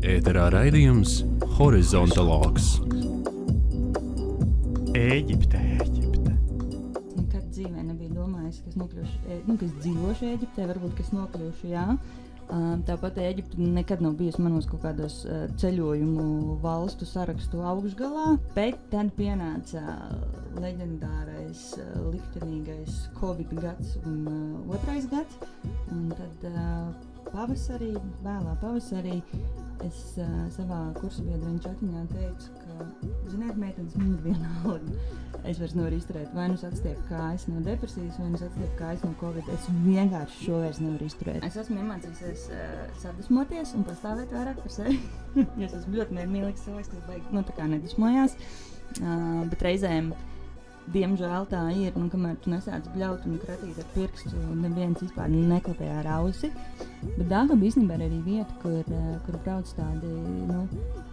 Ēterā raidījums Horizontalogs. Ēģipte. Nekad dzīvē nebija domājis, ka es dzīvošu Ēģiptē, varbūt, ka es nokļūšu, jā. Tāpat Ēģipte nekad nav bijusi manos kaut kādos ceļojumu valstu sarakstu augšgalā, bet tad pienāca leģendārais, liktenīgais Covid gads un otrais gads, un tad vēlā pavasarī es savā kursabiedriņu čatiņā teicu, ka, ziniet, meitenes, man ir vienalga. Es vairs nevaru izturēt, vai nu atstiepu kājas no depresijas, vai nu atstiepu kājas no Covid. Es vienkārši šo vairs nevaru izturēt. Es esmu iemācījusies sadusmoties un pastāvēt vairāk par sevi. Es esmu ļoti nemīlīgs cilvēks, kas baigi, tā kā nedusmojās. Bet reizēm, diemžēl tā ir, kamēr tu nesāc bļaut un kratīt ar pirkstu, neviens vispār neklapē ar ausi. Bet Dāngaba īstenībā ir arī vieta, kur brauc tādi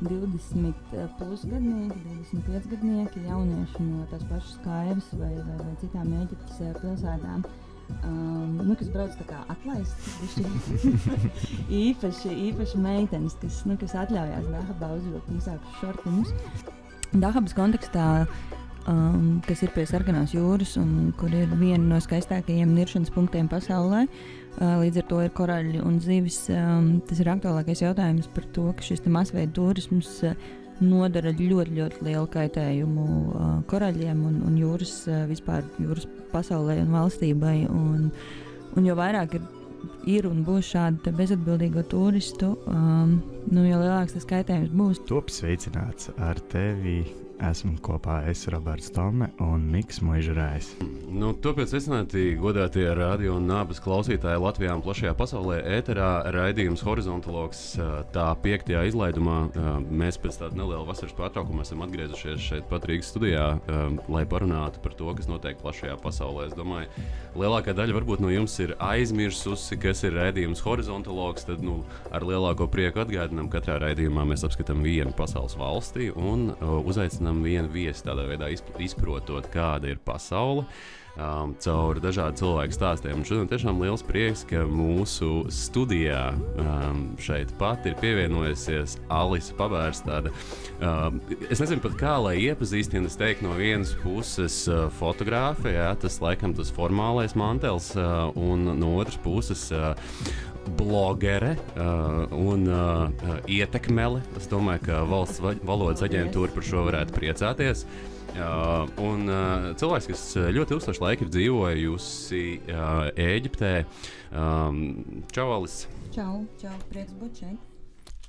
20 plus gadnieki, 25 gadnieki, jaunieši no tās pašas Kaivas vai citām Ēģiptes pilsētām, kas brauc tā kā atlaist. īpaši meitenes, kas atļaujās Dāngabā uzvilkt īsākus šortiņus. Dāngabas kontekstā, kas ir pie Sarkanās jūras un kur ir viena no skaistākajiem niršanas punktiem pasaulē. Līdz ar to ir koraļi un zivis. Tas ir aktuālākais jautājums par to, ka šis masveida turisms nodara ļoti, ļoti lielu kaitējumu koraļiem un jūras pasaulē un valstībai. Un jo vairāk ir un būs šādi bezatbildīgo turistu, jo lielāks tas kaitējums būs. Top sveicināts ar tevi. Esmu kopā Roberts Tome un Miks Muižrājs. Tāpēc sveicināti godātie radio un nābas klausītāji Latvijā un plašajā pasaulē. Ēterā raidījums Horizontalogs, tā 5. izlaidumā. Mēs pēc tāda neliela vasaras pārtraukuma esam atgriezušies šeit pat Rīgas studijā, lai parunātu par to, kas notiek plašajā pasaulē. Es domāju, lielākā daļa varbūt no jums ir aizmirsusi, kas ir raidījums Horizontalogs, tad ar lielāko prieku atgādinām, katrā raidījumā mēs apskatām vienu pasaules valsti un uzaicinām vienu viesi, tādā veidā izprotot, kāda ir pasaule, caur dažādu cilvēku stāstiem. Un šodien tiešām liels prieks, ka mūsu studijā šeit pat ir pievienojusies Alise Pabērstāde. Es nezinu pat kā, lai iepazīstinu, es teiktu no vienas puses fotogrāfe, tas laikam tas formālais mantels, un no otras puses blogere un ietekmele. Es domāju, ka Valsts valodas aģentūra par šo varētu priecāties. Un cilvēks, kas ļoti ilgstoši laika ir dzīvojusi Ēģiptē. Čau, Alise! Čau, prieks būt šeit.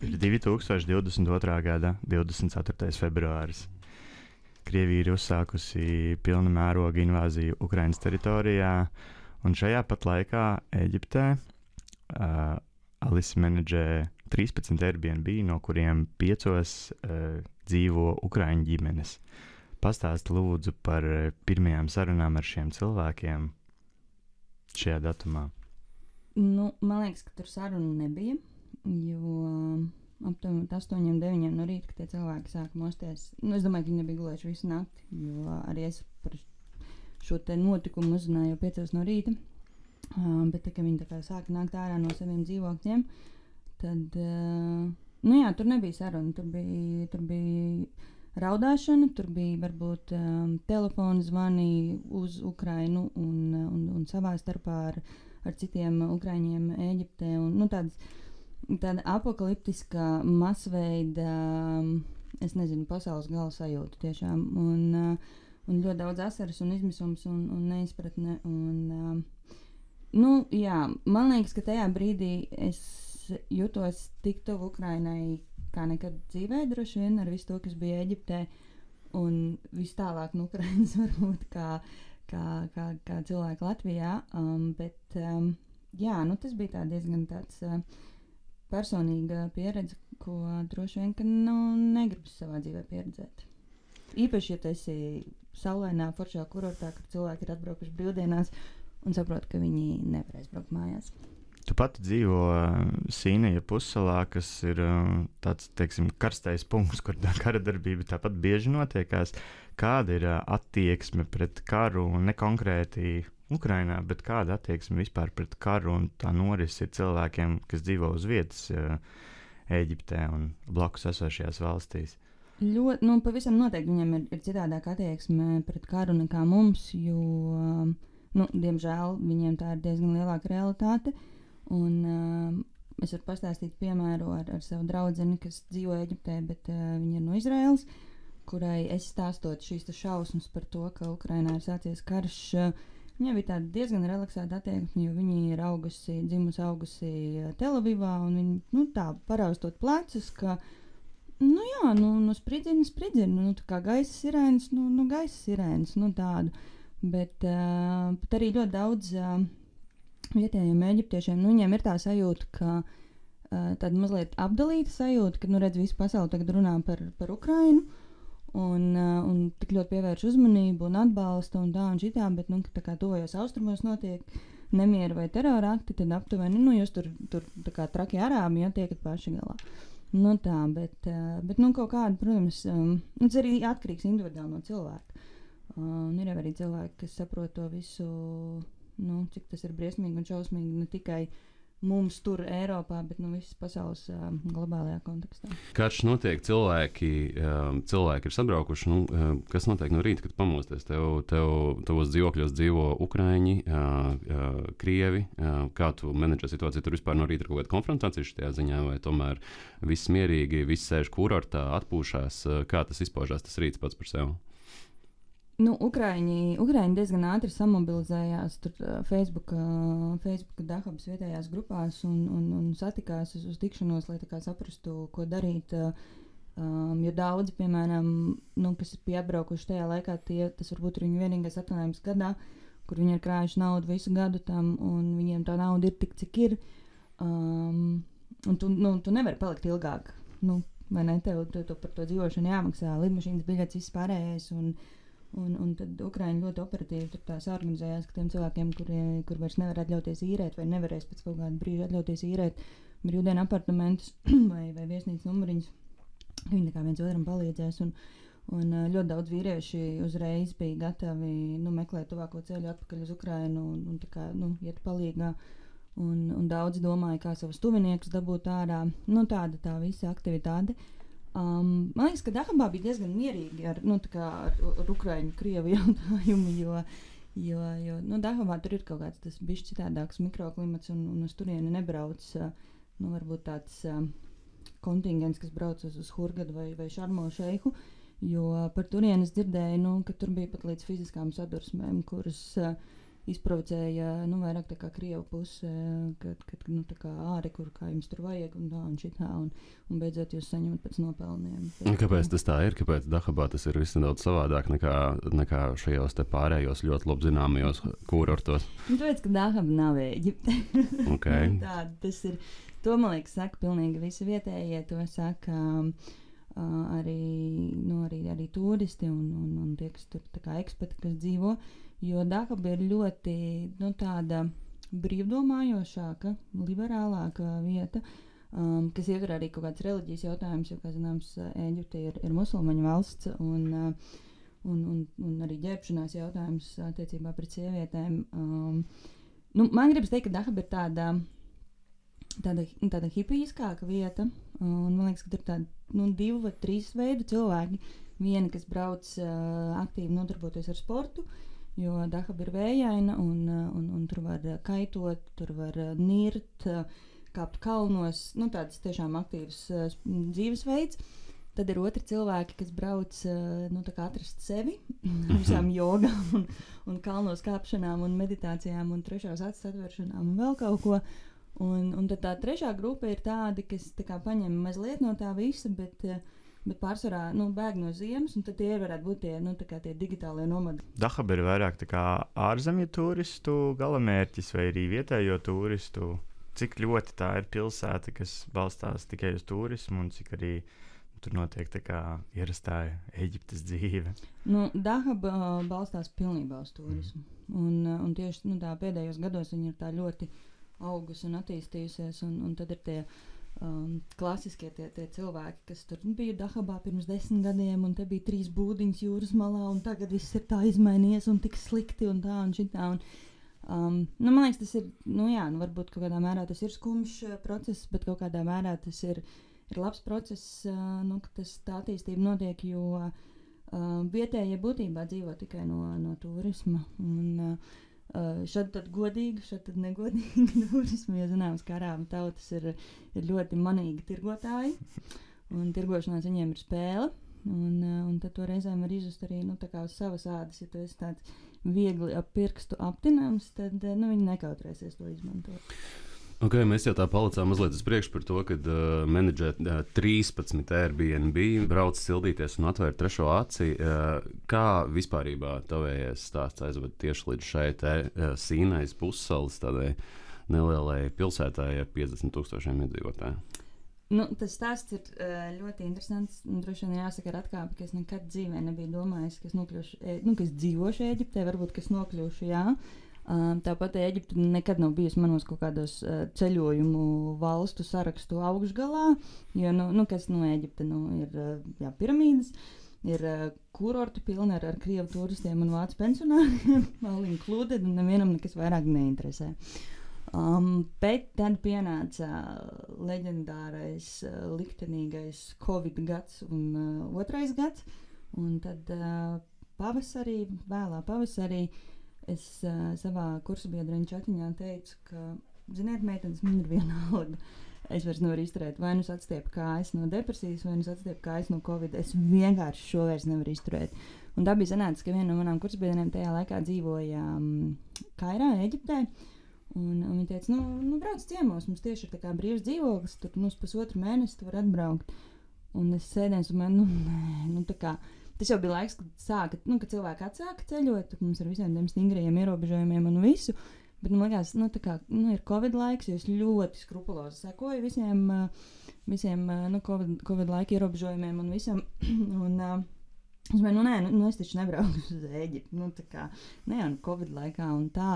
Ir 2022. gada 24. februāris. Krievija ir uzsākusi pilna mēroga invāziju Ukrainas teritorijā, un šajā pat laikā Ēģiptē Alise menedžē 13 Airbnb, no kuriem 5 dzīvo ukraiņu ģimenes. Pastāsti lūdzu par pirmajām sarunām ar šiem cilvēkiem šajā datumā. Man liekas, ka tur sarunu nebija, jo aptuveni 8-9 no rīta, kad tie cilvēki sāka mosties. Es domāju, ka viņi nebija gulējuši visu nakti, jo arī es par šo te notikumu uzzināju jau 5 no rīta. Bet tā, kad viņi tā kā sāka nākt ārā no saviem dzīvokļiem, tad, tur nebija saruna, tur bija raudāšana, tur bija varbūt telefona zvani uz Ukrainu un savā starpā ar citiem ukraiņiem Ēģiptē, un tāda apokaliptiska masveida, es nezinu, pasaules gala sajūta tiešām, un ļoti daudz asaras un izmisums un neizpratne, man liekas, ka tajā brīdī es jutos tik tuvu Ukrainai kā nekad dzīvē, droši vien ar visu to, kas bija Ēģiptē, un vis tālāk no Ukrainas varbūt kā cilvēki Latvijā, bet tas bija tā diezgan tāds personīga pieredze, ko droši vien, ka negribas savā dzīvē pieredzēt. Īpaši, ja tu esi saulainā, foršā kurortā, kad cilvēki ir atbraukuši brīvdienās un saprot, ka viņi nevarēs braukt mājās. Tu pati dzīvo Sīnaja pussalā, kas ir tāds, teiksim, karstais punkts, kur kara darbība tāpat bieži notiekās. Kāda ir attieksme pret karu, un ne konkrēti Ukrainā, bet kāda attieksme vispār pret karu un tā norisi ir cilvēkiem, kas dzīvo uz vietas Eģiptē un blakus esošajās valstīs? Pavisam noteikti viņiem ir citādāka attieksme pret karu nekā mums, jo, diemžēl, viņiem tā ir diezgan lielāka realitāte. Un es varu pastāstīt piemēru ar savu draudzeni, kas dzīvo Eģiptē, bet viņa ir no Izraēlas, kurai es stāstot šīs šausmas par to, ka Ukrainā ir sācies karš. Viņai bija tāda diezgan relaksēta attieksme, jo viņa ir dzimusi Telavivā, un viņa tā paraustot plecus, ka spridzina, tā kā gaisa sirēnas, gaisa sirēnas, tādu. Bet arī ļoti daudz vietējiem eģiptiešiem, viņiem ir tā sajūta, ka tāda mazliet apdalīta sajūta, ka, redz, visa pasaule tagad runā par Ukrainu, un tik ļoti pievērš uzmanību un atbalsta un tā un šitā, bet, tā kā tuvajos austrumos notiek nemieri vai terora akti, tad aptuveni, jūs tur tā kā trakie arābi, tiekat paši galā. Bet kaut kāda, protams, tas arī atkarīgs individuāli no cilvēka. Ir arī cilvēki, kas saprot to visu, cik tas ir briesmīgi un šausmīgi ne tikai mums tur Eiropā, bet visas pasaules globālajā kontekstā. Karš notiek, cilvēki ir sabraukuši. Kas notiek no rīta, kad pamosties? Tavos dzīvokļos dzīvo Ukraiņi, Krievi. Kā tu menedžē situāciju? Tur vispār no rīta ir kaut kāda konfrontācija šajā ziņā, vai tomēr viss mierīgi, viss sēž kurortā, atpūšās? Kā tas izpaužās, tas rīts pats par sevi? Ukraiņi diezgan ātri samobilizējās tur Facebook Dahabas vietējās grupās un satikās uz tikšanos, lai tā kā saprastu, ko darīt. Jo daudzi, piemēram, kas bija atbraukuši tajā laikā, tas varbūt ir viņu vienīgais atvaļinājums gadā, kur viņi ir krājuši naudu visu gadu tam, un viņiem tā nauda ir tik, cik ir. Un tu nevari palikt ilgāk. Vai ne? Tev par to dzīvošanu jāmaksā, lidmašīnas biļetes, viss pārējais. Un tad Ukraiņi ļoti operatīvi tur tās organizējās, ka tiem cilvēkiem, kur vairs nevar atļauties īrēt vai nevarēs pēc kaut kāda brīža atļauties īrēt brīvdienu apartamentus vai viesnīcas numuriņus, viņi tā kā viens otram palīdzēs. Un ļoti daudz vīrieši uzreiz bija gatavi meklēt tuvāko ceļu atpakaļ uz Ukrainu un tā kā iet palīgā. Un daudzi domāja, kā savus tuviniekus dabūt ārā. Tāda tā visa aktivitāte. Man liekas, ka Dahabā bija diezgan mierīgi ar Ukraiņu, Krievu jautājumu, jo Dahabā tur ir kaut kāds tas bišķi citādāks mikroklimats un uz turieni nebrauc, varbūt tāds kontingents, kas brauc uz Hurgadu vai Šarmo Šeihu, jo par turienes dzirdēju, ka tur bija pat līdz fiziskām sadursmēm, kuras izprovocēja vairāk tā kā Krievu puse, kad tā kā āri, kur kā jums tur vajag un tā un šitā, un beidzot jūs saņemat pēc nopelniem. Kāpēc tas tā ir? Kāpēc Dahabā tas ir viss nedaudz savādāk nekā šajos te pārējos ļoti labi zināmajos kurortos? Tāpēc, ka Dahaba nav Eģipte. Okay. Tas ir, to man liekas saka pilnīgi visi vietējie, to saka arī turisti un tie, kas tur tā kā ekspati, kas dzīvo. Jo Dahaba ir ļoti tāda brīvdomājošāka, liberālāka vieta, kas ietver arī kaut kāds reliģijas jautājums, jo, kā zināms, Eģipte ir musulmaņu valsts un arī ģērbšanās jautājums attiecībā pret sievietēm. Man gribas teikt, ka Dahaba ir tāda hipijiskāka vieta, un man liekas, ka tur ir tādi 2 vai 3 veidu cilvēki. Vieni, kas brauc aktīvi nodarboties ar sportu, jo Dahaba ir vējaina un tur var kaitot, tur var nirt, kāpt kalnos, tāds tiešām aktīvs dzīvesveids. Tad ir otri cilvēki, kas brauc tā kā atrast sevi ar visām jogām un kalnos kāpšanām un meditācijām un trešās acis atvēršanām un vēl kaut ko. Un tad tā trešā grupa ir tādi, kas tā kā paņem mazliet no tā visa, bet pārsvarā bēg no ziemas, un tad tie varētu būt tie digitālie nomadi. Dahaba ir vairāk tā kā ārzemju turistu galamērķis vai arī vietējo turistu. Cik ļoti tā ir pilsēta, kas balstās tikai uz turismu, un cik arī tur notiek tā kā ierastā Eģiptes dzīve? Dahaba balstās pilnībā uz turismu. Un tieši tā pēdējos gados viņi ir tā ļoti augusi un attīstījusies, un tad ir tie klasiskie tie cilvēki, kas tur bija Dahabā pirms 10 gadiem, un te bija 3 būdiņas jūras malā, un tagad viss ir tā izmainījies un tik slikti un tā un šitā. Man liekas, tas ir, varbūt kaut kādā mērā tas ir skumjš process, bet kaut kādā mērā tas ir ir labs process, ka tā attīstība notiek, jo vietējie būtībā dzīvo tikai no turisma. Un, šad tad godīgi, šad tad negodīgi turismu, jo zināms, ka arābu tautas ir ļoti manīgi tirgotāji, un tirgošanās viņiem ir spēle, un tad to reizēm var izjust arī, tā kā uz savas ādas, ja tu esi tāds viegli ap pirkstu aptinams, tad, viņi nekautrēsies to izmantot. Okay, mēs jau tā palicām mazliet uz priekšu par to, kad menedžēt 13 Airbnb, brauc sildīties un atvērt trešo aci. Kā vispārībā tavējais stāsts aizved tieši līdz šai Sīnais pussalas tādai nelielai pilsētai ar 50,000 iedzīvotāju? Tas stāsts ir ļoti interesants. Droši vien jāsaka ar atkāpi, ka es nekad dzīvē nebiju domājis, ka es nokļūšu, ka es dzīvošu Ēģiptē, varbūt, ka es nokļūšu, jā. Tāpat Ēģipte nekad nav bijusi manos kaut kādos ceļojumu valstu sarakstu augšgalā, jo, kas Ēģipte, ir piramīdas, ir kurortu pilni ar krievu turistiem un vācu pensionāriem, all included, un nevienam nekas vairāk neinteresē. Bet tad pienāca leģendārais, liktenīgais Covid gads un otrais gads, un tad vēlā pavasarī, es savā kursabiedriņu čatiņā teicu, ka, ziniet, meitenes, man ir vienalga. Es vairs nevaru izturēt, vai nu es atstiepu kājas no depresijas, vai nu es atstiepu kājas no Covid. Es vienkārši šo vairs nevaru izturēt. Un tā bija sanācis, ka viena no manām kursabiedriem tajā laikā dzīvoja Kairā, Ēģiptē. Un viņi teica, brauc ciemos, mums tieši ir tā kā brīvs dzīvoklis, tur uz pusotru mēnesi tu var atbraukt. Un es sēdēju, un tā kā tas jau bija laiks, kad cilvēki atsāka ceļot, mums ar visiem tiem stingrajiem ierobežojumiem un visu, bet man liekas, ir Covid laiks, jo es ļoti skrupulozi sekoju visiem Covid laika ierobežojumiem un visam, un es domāju, es taču nebraucu uz Ēģipti, ne jau Covid laikā un tā,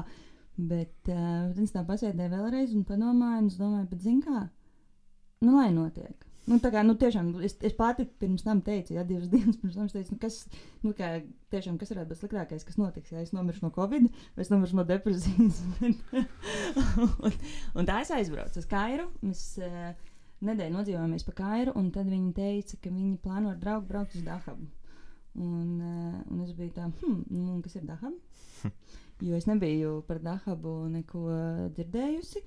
bet es tā pasēdēju vēlreiz un padomāju, un es domāju, bet zin kā, lai notiek. Tiešām, es pati pirms tam teicu, 2 dienas pirms tam teicu, kas varētu būt sliktākais, kas notiks, ja es nomiršu no Covid, vai es nomiršu no depresijas. un tā es aizbraucu uz Kairu, mēs nedēļu nodzīvojāmies pa Kairu, un tad viņi teica, ka viņi plāno ar draugu braukt uz Dahabu. Un es biju tā, kas ir Dahaba? Jo es nebiju par Dahabu neko dzirdējusi.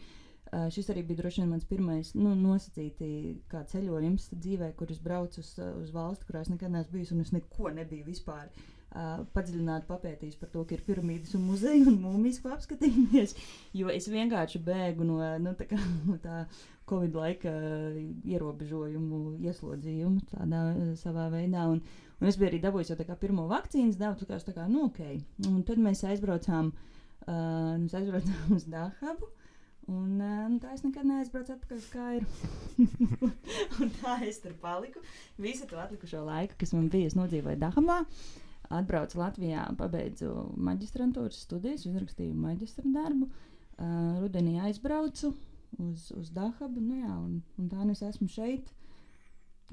Šis arī bija droši vien mans pirmais nosacīti kā ceļojums dzīvē, kur es braucu uz valsti, kurā es nekad neesmu bijusi, un es neko nebiju vispār padziļināti papētījis par to, ka ir piramīdas un muzeji un mūmijas, ko apskatīties, jo es vienkārši bēgu no tā Covid laika ierobežojumu ieslodzījumu tādā savā veidā, un es biju arī dabūjis jau tā kā pirmo vakcīnas devu, tā kā, ok. Un tad mēs aizbraucām uz Dahabu, un tā es nekad neaizbraucu atpakaļ uz Kairu. Un tā es tur paliku. Visu to atlikušo laiku, kas man bija, es nodzīvoju Dahabā, atbraucu Latvijā, pabeidzu maģistrantūras studijas, uzrakstīju maģistra darbu, rudenī aizbraucu uz Dahabu, un tā es esmu šeit,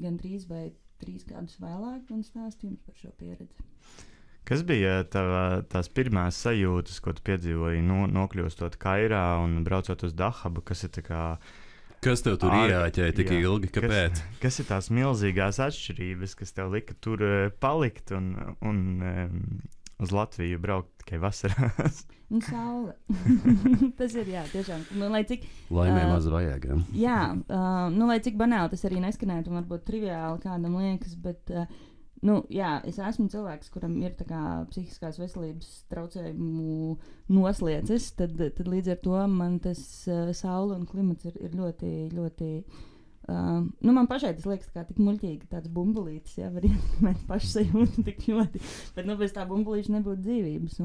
gan 3 vai 3 gadus vēlāk, un stāstu jums par šo pieredzi. Kas bija tās pirmās sajūtas, ko tu piedzīvoji, nokļūstot Kairā un braucot uz Dahabu, kas ir tā kā... Kas tev tur ieāķēja tik ilgi, kāpēc? Kas ir tās milzīgās atšķirības, kas tev lika tur palikt un uz Latviju braukt tikai vasarās? Un saule. Tas ir, jā, tiešām. Laimē maz vajag. Jā, lai cik banāli tas arī neskanētu un varbūt triviāli kādam liekas, bet... jā, es esmu cilvēks, kuram ir tā kā psihiskās veselības traucējumu noslieces, tad līdz ar to man tas saule un klimats ir ļoti, ļoti... man pašai tas liekas kā tik muļķīgi, tāds bumbulītis, jā, var ietekmēt pašsajūtu tik ļoti, bet bez tā bumbulīša nebūtu dzīvības.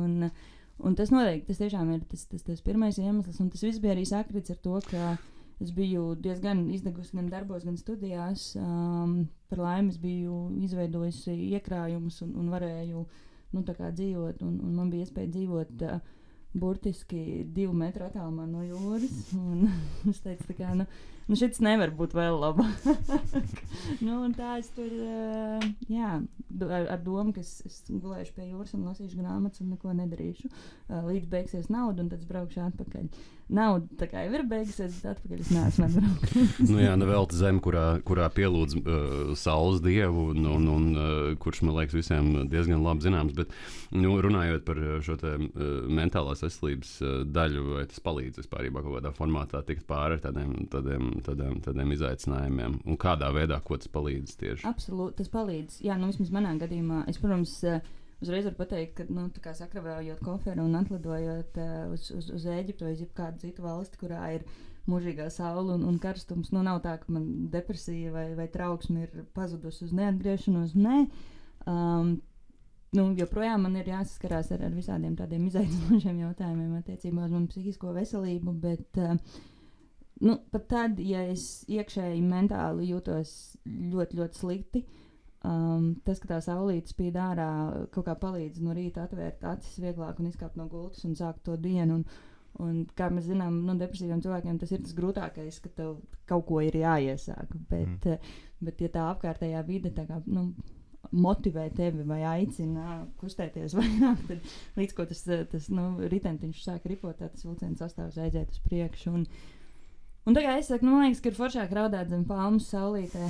Un tas noteikti, tas tiešām ir tas pirmais iemesls, un tas viss bija arī sakrits ar to, ka es biju diezgan izdegusi gan darbos, gan studijās. Par laimi es biju izveidojusi iekrājumus un varēju tā kā dzīvot, un man bija iespēja dzīvot burtiski 2 metru attālumā no jūras. Un es teicu, tā kā, šis nevar būt vēl labāk. Un tā es tur, ar domu, ka es gulēšu pie jūras un lasīšu grāmatas un neko nedarīšu. Līdz beigsies nauda, un tad es braukšu atpakaļ. Nauda tā kā jau ir beigusies, bet atpakaļ es neesmu atbraukt. Nevelta zeme, kurā pielūdz saules dievu, un kurš, man liekas, visiem diezgan labi zināms. Bet, runājot par šo te mentālās veselības daļu, vai tas palīdz vispārībā kaut kādā formātā tikt pāri tādiem izaicinājumiem? Un kādā veidā, ko tas palīdz tieši? Absolūti, tas palīdz. Jā, vismaz manā gadījumā. Es, protams, uzreiz varu pateikt, ka sakravējot koferu un atlidojot uz Ēģiptu vai kādu citu valsti, kurā ir mūžīgā saule un karstums, nav tā, ka man depresija vai trauksme ir pazudusi uz neatgriešanos. Nē. Joprojām man ir jāsaskarās ar visādiem tādiem izaicinošiem jautājumiem attiecībā uz manu psihisko veselību, bet pat tad, ja es iekšēji mentāli jūtos ļoti, ļoti slikti, tas, ka tā saulīte spīd ārā, kaut kā palīdz no rīta atvērt acis vieglāk un izkāpt no gultas un sākt to dienu. Un kā mēs zinām, depresīviem cilvēkiem tas ir tas grūtākais, ka tev kaut ko ir jāiesāk. Bet ja tā apkārtējā vide tā kā, motivē tevi vai aicina kustēties vairāk, tad līdz ko tas ritentiņš sāk ripot, tas vilciens sastāvs aiziet uz priekšu. Un tagad es saku, man liekas, ka ir foršāk raudāt zem palmas saulītē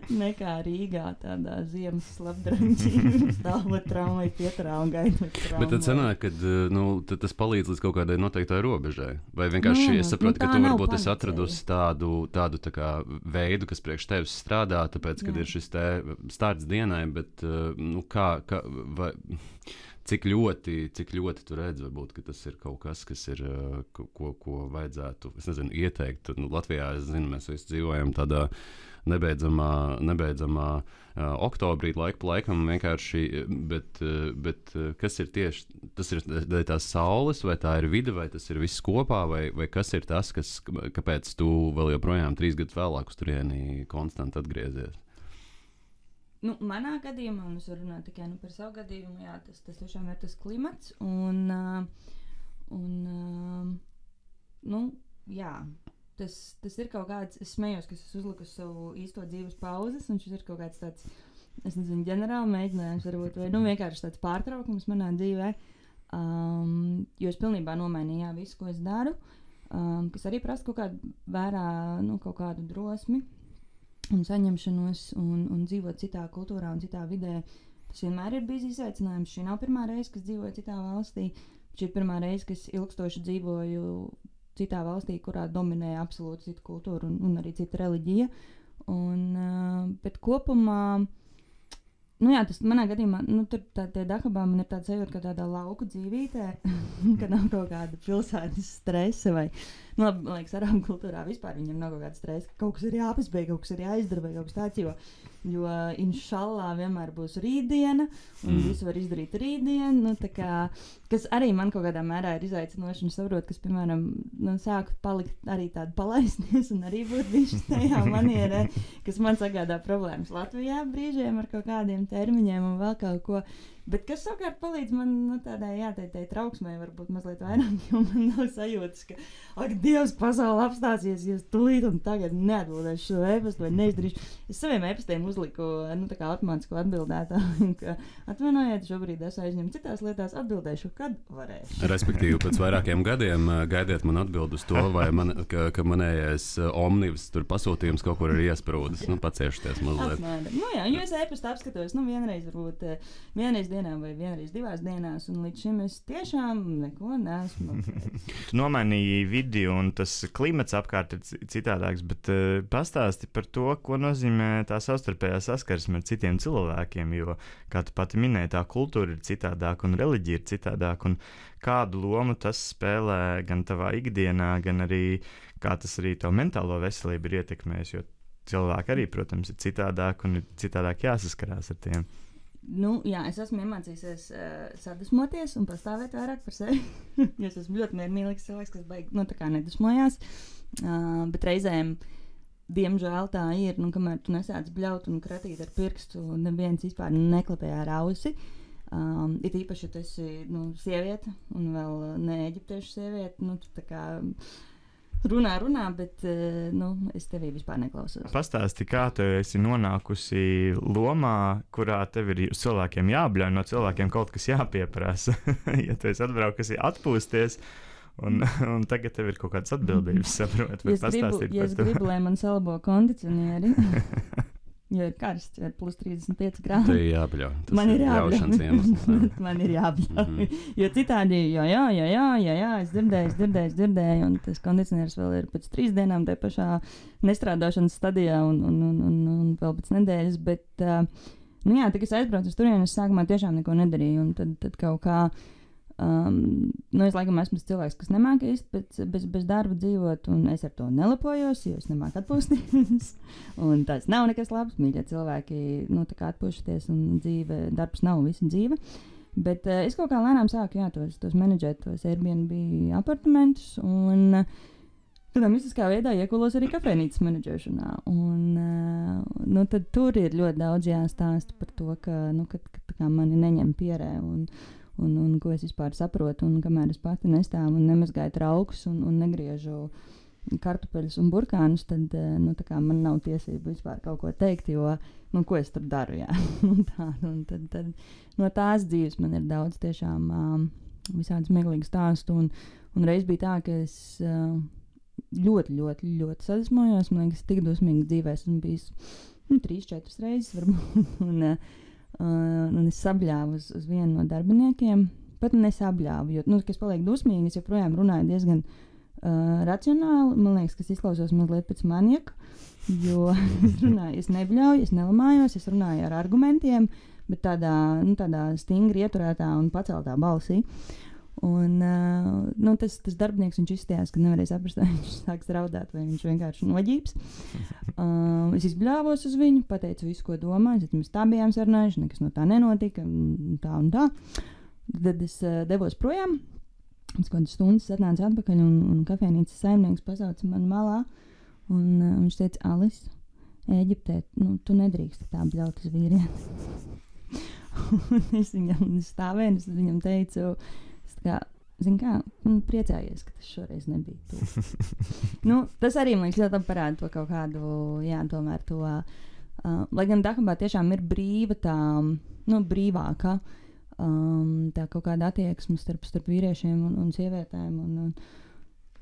nekā Rīgā tādā ziemas slapdraņķī, stāvot tramvaju pieturā un gaidot tramvaju. Bet tad sanāk, ka tas palīdz līdz kaut kādai noteiktai robežai? Vai vienkārši es saprotu, ka tu varbūt esi atradusi tādu tā kā veidu, kas priekš tevis strādā, tāpēc, kad ir šis te starts dienai, bet vai... Cik ļoti tu redzi, varbūt, ka tas ir kaut kas, kas ir, ko vajadzētu, es nezinu, ieteikt. Latvijā, es zinu, mēs visi dzīvojam tādā nebeidzamā oktobrī, laiku pa laikam vienkārši, bet kas ir tieši, tas ir tās saules, vai tā ir vide, vai tas ir viss kopā, vai kas ir tas, kāpēc tu vēl joprojām 3 gadus vēlāk uz turieni konstanti atgriezies? Manā gadījumā, un es varu runāt tikai par savu gadījumu, jā, tas tiešām ir tas klimats, jā, tas ir kaut kāds, es smējos, ka es uzliku savu īsto dzīves pauzes, un šis ir kaut kāds tāds, es nezinu, ģenerāli mēģinājums varbūt, vai vienkārši tāds pārtraukums manā dzīvē, jo es pilnībā nomainīju visu, ko es daru, kas arī prasa kaut kādu vērā, kaut kādu drosmi, un saņemšanos un dzīvot citā kultūrā un citā vidē. Tas vienmēr ir bijis izaicinājums. Šī nav pirmā reize, kas dzīvoju citā valstī. Šī ir pirmā reize, kas ilgstoši dzīvoju citā valstī, kurā dominē absolūti cita kultūra un arī cita reliģija. Bet kopumā, tas manā gadījumā, tur tie Dahabā man ir tāds sajūta, ka tādā lauku dzīvītē, ka nav kaut kāda pilsētas stresa vai, man liekas, arābu kultūrā vispār viņam nav kaut kāda stresa, ka kaut kas ir jāpaspēj, kaut kas ir jāizdara vai kaut kas tāds, jo inšallā vienmēr būs rītdiena un visu var izdarīt rītdien, kas arī man kaut kādā mērā ir izaicinoši un saprot, kas, piemēram, sāku palikt arī tādu palaisties un arī būt bišķi tajā manierē, kas man sagādā problēmas Latvijā brīžiem ar kaut kādiem termiņiem un vēl kaut ko. Bet kas savukārt palīdz man tādai trauksmei varbūt mazliet vairāk, jo man nav sajūtas, ka, ak, Dievs, pasaule apstāsies, ja es tūlīt un tagad neatbildēšu šo e-pastu vai neizdarīšu. Es saviem e-pastiem uzliku, tā kā automātisko atbildētāju, ka atvainojiet, šobrīd es aizņemu citās lietās, atbildēšu, kad varēšu. Respektīvi, pēc vairākiem gadiem gaidiet man atbild uz to, vai ka manējais omnibus tur pasūtījums kaut kur ir iesprūdis, paciešties mazliet. Jo es e-pastu apskatos, vienreiz varbūt, vienreiz dienā vai vienreiz 2 dienās, un līdz šim es tiešām neko neesmu. Tu nomainīji vidi, un tas klimats apkārt ir citādāks, bet pastāsti par to, ko nozīmē tā savstarpējā saskarsme ar citiem cilvēkiem, jo, kā tu pati minēji, tā kultūra ir citādāka un reliģija ir citādāka, un kādu lomu tas spēlē gan tavā ikdienā, gan arī kā tas arī tavu mentālo veselību ir ietekmējis, jo cilvēki arī, protams, ir citādāk un ir citādāk jāsaskarās ar tiem. Es esmu iemācījusies sadusmoties un pastāvēt vairāk par sevi. Jo es esmu ļoti miermīlīgs cilvēks, kas baigi, tā kā nedusmojās. Bet reizēm, diemžēl tā ir, kamēr tu nesāc bļaut un kratīt ar pirkstu, neviens vispār neklapē ar ausi. Ir īpaši, ja tu esi sieviete un vēl ne eģiptiešu sieviete, tu tā kā runā, bet es tevī vispār neklausos. Pastāsti, kā tu esi nonākusi lomā, kurā tev ir uz cilvēkiem jābļauj, no cilvēkiem kaut kas jāpieprasa. Ja tu esi atbraukusi atpūsties, un tagad tev ir kaut kādas atbildības, saprot, vai pastāstīt par to. Ja es gribu, lai man salabo kondicionieri, jo ir karsts, jo ir plus 35 grādi. Tev jābļauj. Man ir jābļaušanas iemesls. Man ir jābļauj. Jo citādi, jā, es dzirdēju, un tas kondicionieris vēl ir pēc 3 dienām te pašā nestrādāšanas stadijā un vēl pēc nedēļas, bet, tik es aizbraucu uz turieni, es sākumā tiešām neko nedarīju, un tad kaut kā, es laikam esmu cilvēks, kas nemāka īsti bez darba dzīvot, un es ar to nelepojos, jo es nemāku atpūsties. Un tas nav nekas labs, mīļie cilvēki, tā kā atpūšaties, un darbs nav visa dzīve. Bet es kaut kā lēnām sāku, tos menedžēt, tos Airbnb apartamentus, un tādā mistiskā veidā iekulos arī kafejnīcas menedžēšanā. Un tad tur ir ļoti daudz jāstāsta par to, ka mani neņem pierē, un ko es vispār saprotu, un kamēr es pati nestāvu un nemazgāju traukus un negriežu kartupeļus un burkānus, tad man nav tiesība vispār kaut ko teikt, jo, ko es tur daru, jā. Tad no tās dzīves man ir daudz tiešām visādi smieklīgi stāstu, un reiz bija tā, ka es ļoti, ļoti, ļoti sadusmojos, man liekas, tik dusmīgi dzīvē esmu bijis 3-4 reizes varbūt, un es sabļāvu uz vienu no darbiniekiem, pat nesabļāvu, jo, kas paliek dusmīgi, es joprojām runāju diezgan racionāli, man liekas, ka es izklausos mazliet pēc manieka, jo es runāju, es nebļauju, es nelamājos, es runāju ar argumentiem, bet tādā stingri ieturētā un paceltā balsī. Un tas darbinieks, viņš izstījās, ka nevarēja saprast, vai viņš sāks raudāt, vai viņš vienkārši noģības. Es izbļāvos uz viņu, pateicu visu, ko domāju, mēs tā bijām sarunājuši, nekas no tā nenotika, tā un tā. Tad es devos projām, pēc kādas stundas atnācu atpakaļ, un kafejnīcas saimnieks pasauca mani malā, un viņš teica, Alis, Ēģiptē, tu nedrīkst tā bļaut uz vīrieti. Un es viņam stāvēju, es viņam teicu, priecājies, ka tas šoreiz nebija tu. Tas arī man ļoti parāda to kaut kādu, tomēr to, lai gan Dahambā tiešām ir brīva tā, brīvāka, tā kaut kāda attieksme starp vīriešiem un sievietēm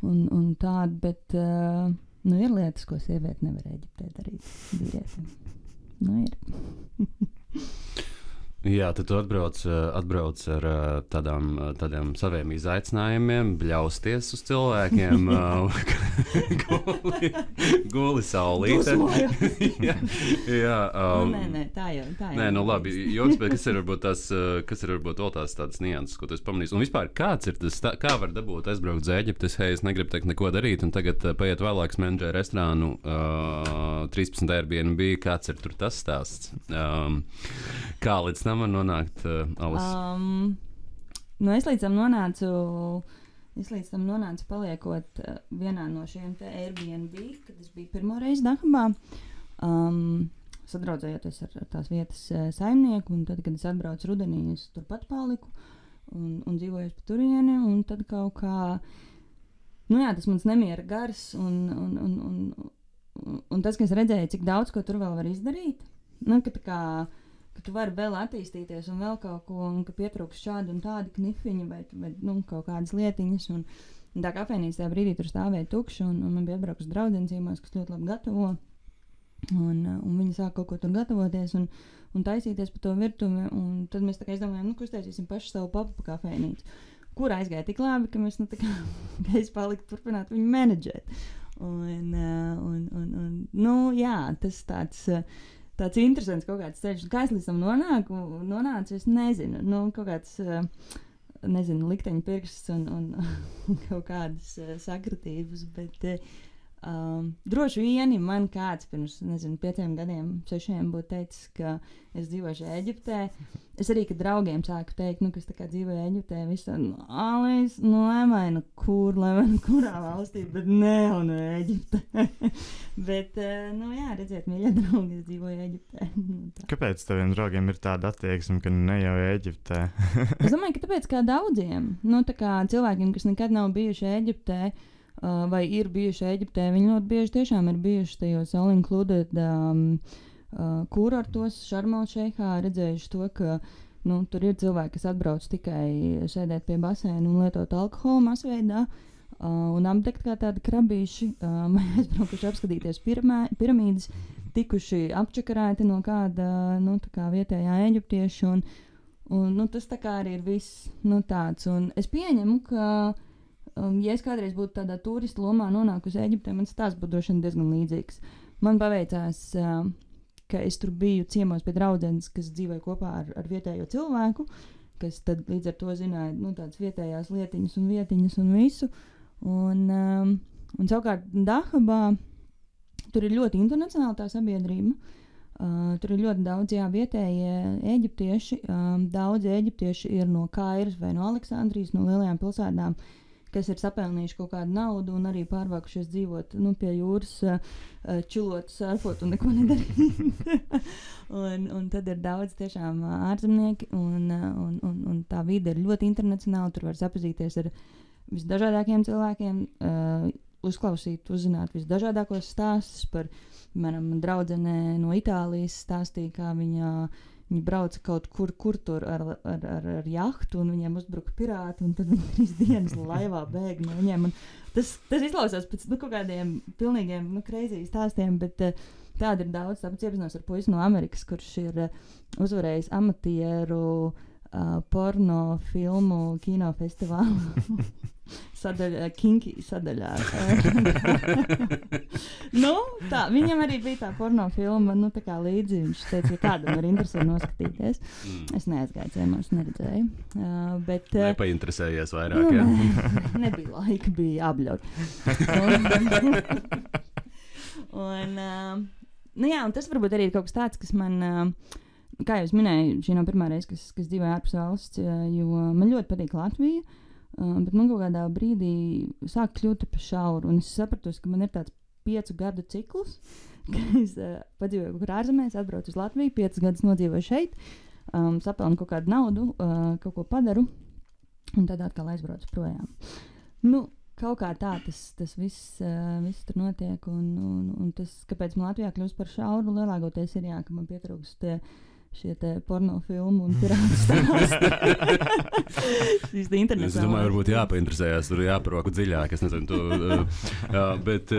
un tāda, bet, ir lietas, ko sieviete nevar Eģiptē darīt vīrietim. Ir. Jā, tad tu atbrauc ar tādiem saviem izaicinājumiem, bļausties uz cilvēkiem, guli saulīte. jā. Nē, tā jau. Nē, labi, joks, bet kas ir varbūt vēl tādas nianses, ko tu esi pamanījis? Un vispār, kāds ir tas, kā var dabūt aizbraukt uz Eģipti, es negribu teikt neko darīt, un tagad paiet vēlāk menedžē restorānu 13 Airbnb, kāds ir tur tas stāsts? Kā līdz tam var nonākt, Alis? Es līdz tam nonācu paliekot vienā no šiem te Airbnb, kad es biju pirmo reizi Dahambā, sadraudzējoties ar tās vietas saimnieku, un tad, kad es atbraucu rudenī, es turpat paliku un dzīvoju pa turieni, un tad kaut kā, tas mans nemiera gars, un tas, ka es redzēju, cik daudz ko tur vēl var izdarīt, ka tu vari vēl attīstīties un vēl kaut ko, un ka pietrūks šādi un tādi knifiņi vai kaut kādas lietiņas, un tā kafejnīca tajā brīdī tur stāvēja tukša, un man bija atbraukus draudzenes ciemos, kas ļoti labi gatavo, un viņi sāk kaut ko tur gatavoties un taisīties pa to virtuvi, un tad mēs tā kā izdomājām, ka uztaisīsim paši savu pop-up kafejnīcu, kur aizgāja tik labi, ka mēs, ka es paliku turpināt viņu menedžēt. Tas tāds interesants kaut kāds ceļš. Kā es līdz tam nonācu, es nezinu. Kaut kāds, likteņa pirksts un kaut kādas sakritības, bet Droši vien man kāds pirms, 5 gadiem, 6 būtu teicis, ka es dzīvošu Ēģiptē. Es arī, kad draugiem sāku teikt, kas tā kā dzīvoja Ēģiptē, visi tā, lai vai kurā valstī, bet ne, un Ēģiptē. Bet, redziet, mīļie draugi, es dzīvoju Ēģiptē. Kāpēc taviem draugiem ir tāda attieksme, ka ne jau Ēģiptē? Es domāju, ka tāpēc kā daudziem, tā kā cilvēkiem, kas nekad nav bijuši Ēģiptē, vai ir bijuši Ēģiptē, viņi ļoti bieži tiešām ir bijuši tajos all-included kurortos, Šarm-el-Šeikhā, redzējuši to, ka tur ir cilvēki, kas atbrauc tikai sēdēt pie baseina un lietot alkoholu masveidā un apdegt kā tādi krabīši, aizbraukuši apskatīties piramīdas, tikuši apčakarēti no kāda tā kā vietējā eģiptieša, un tas tā kā arī ir viss tāds. Un es pieņemu, ka ja es kādreiz būtu tādā turistu lomā nonākusi Ēģiptē, man stāsts būtu droši vien diezgan līdzīgs. Man paveicās, ka es tur biju ciemos pie draudzenes, kas dzīvoja kopā ar vietējo cilvēku, kas tad līdz ar to zināja tādas vietējās lietiņas un vietiņas un visu. Un savukārt Dahabā tur ir ļoti internacionāla tā sabiedrība. Tur ir ļoti daudz vietējie eģiptieši. Daudzi eģiptieši ir no Kairas vai no Aleksandrijas, no lielajām pilsētām, kas ir sapelnījuši kaut kādu naudu un arī pārvākušies dzīvot pie jūras, čilot, surfot un neko nedarīt. un tad ir daudz tiešām ārzemnieki, un tā vide ir ļoti internacionāla. Tur var sapazīties ar visdažādākiem cilvēkiem, uzklausīt, uzzināt visdažādākos stāstus par, piemēram, draudzene no Itālijas stāstīja, kā viņa brauca kaut kur tur ar jahtu, un viņiem uzbruka pirāti, un tad viņi 3 dienas laivā bēg no viņiem. Tas izklausās pēc kaut kādiem pilnīgiem crazy stāstiem, bet tāda ir daudz. Tāpēc iepazinos ar puisi no Amerikas, kurš ir uzvarējis amatieru porno filmu kinofestivālu sadaļā, Kinky sadaļā. Tā, viņam arī bija tā porno filma, tā kā līdzi. Viņš teica, ka kādam ir interesē noskatīties. Es neaizgāju ciemos, neredzēju. Nepainteresējies vairāk, jā? Nebija laika, bija jābļaut. Un tas varbūt arī ir kaut kas tāds, kas man... Kā jau es minēju, šī nav pirmā reize, kas dzīvoja ārpus valsts, jo man ļoti patīk Latvija, bet man kaut kādā brīdī sāk kļūt pa šauru, un es sapratu, ka man ir tāds 5 gadu cikls, ka es padzīvoju kaut kur ārzemēs, atbraucu uz Latviju, 5 gadus nodzīvoju šeit, sapelnu kaut kādu naudu, kaut ko padaru, un tad atkal aizbraucu projām. Kaut kā tā tas viss tur notiek, un tas, kāpēc man Latvijā kļūst par šauru, lielākoties ir ka man pietrūkst šie te porno filmu un pirātu stāsti. Šīs te internacionālās. Es domāju, varbūt jāpainteresējās, tur jāparoko dziļāk, es nezinu. Bet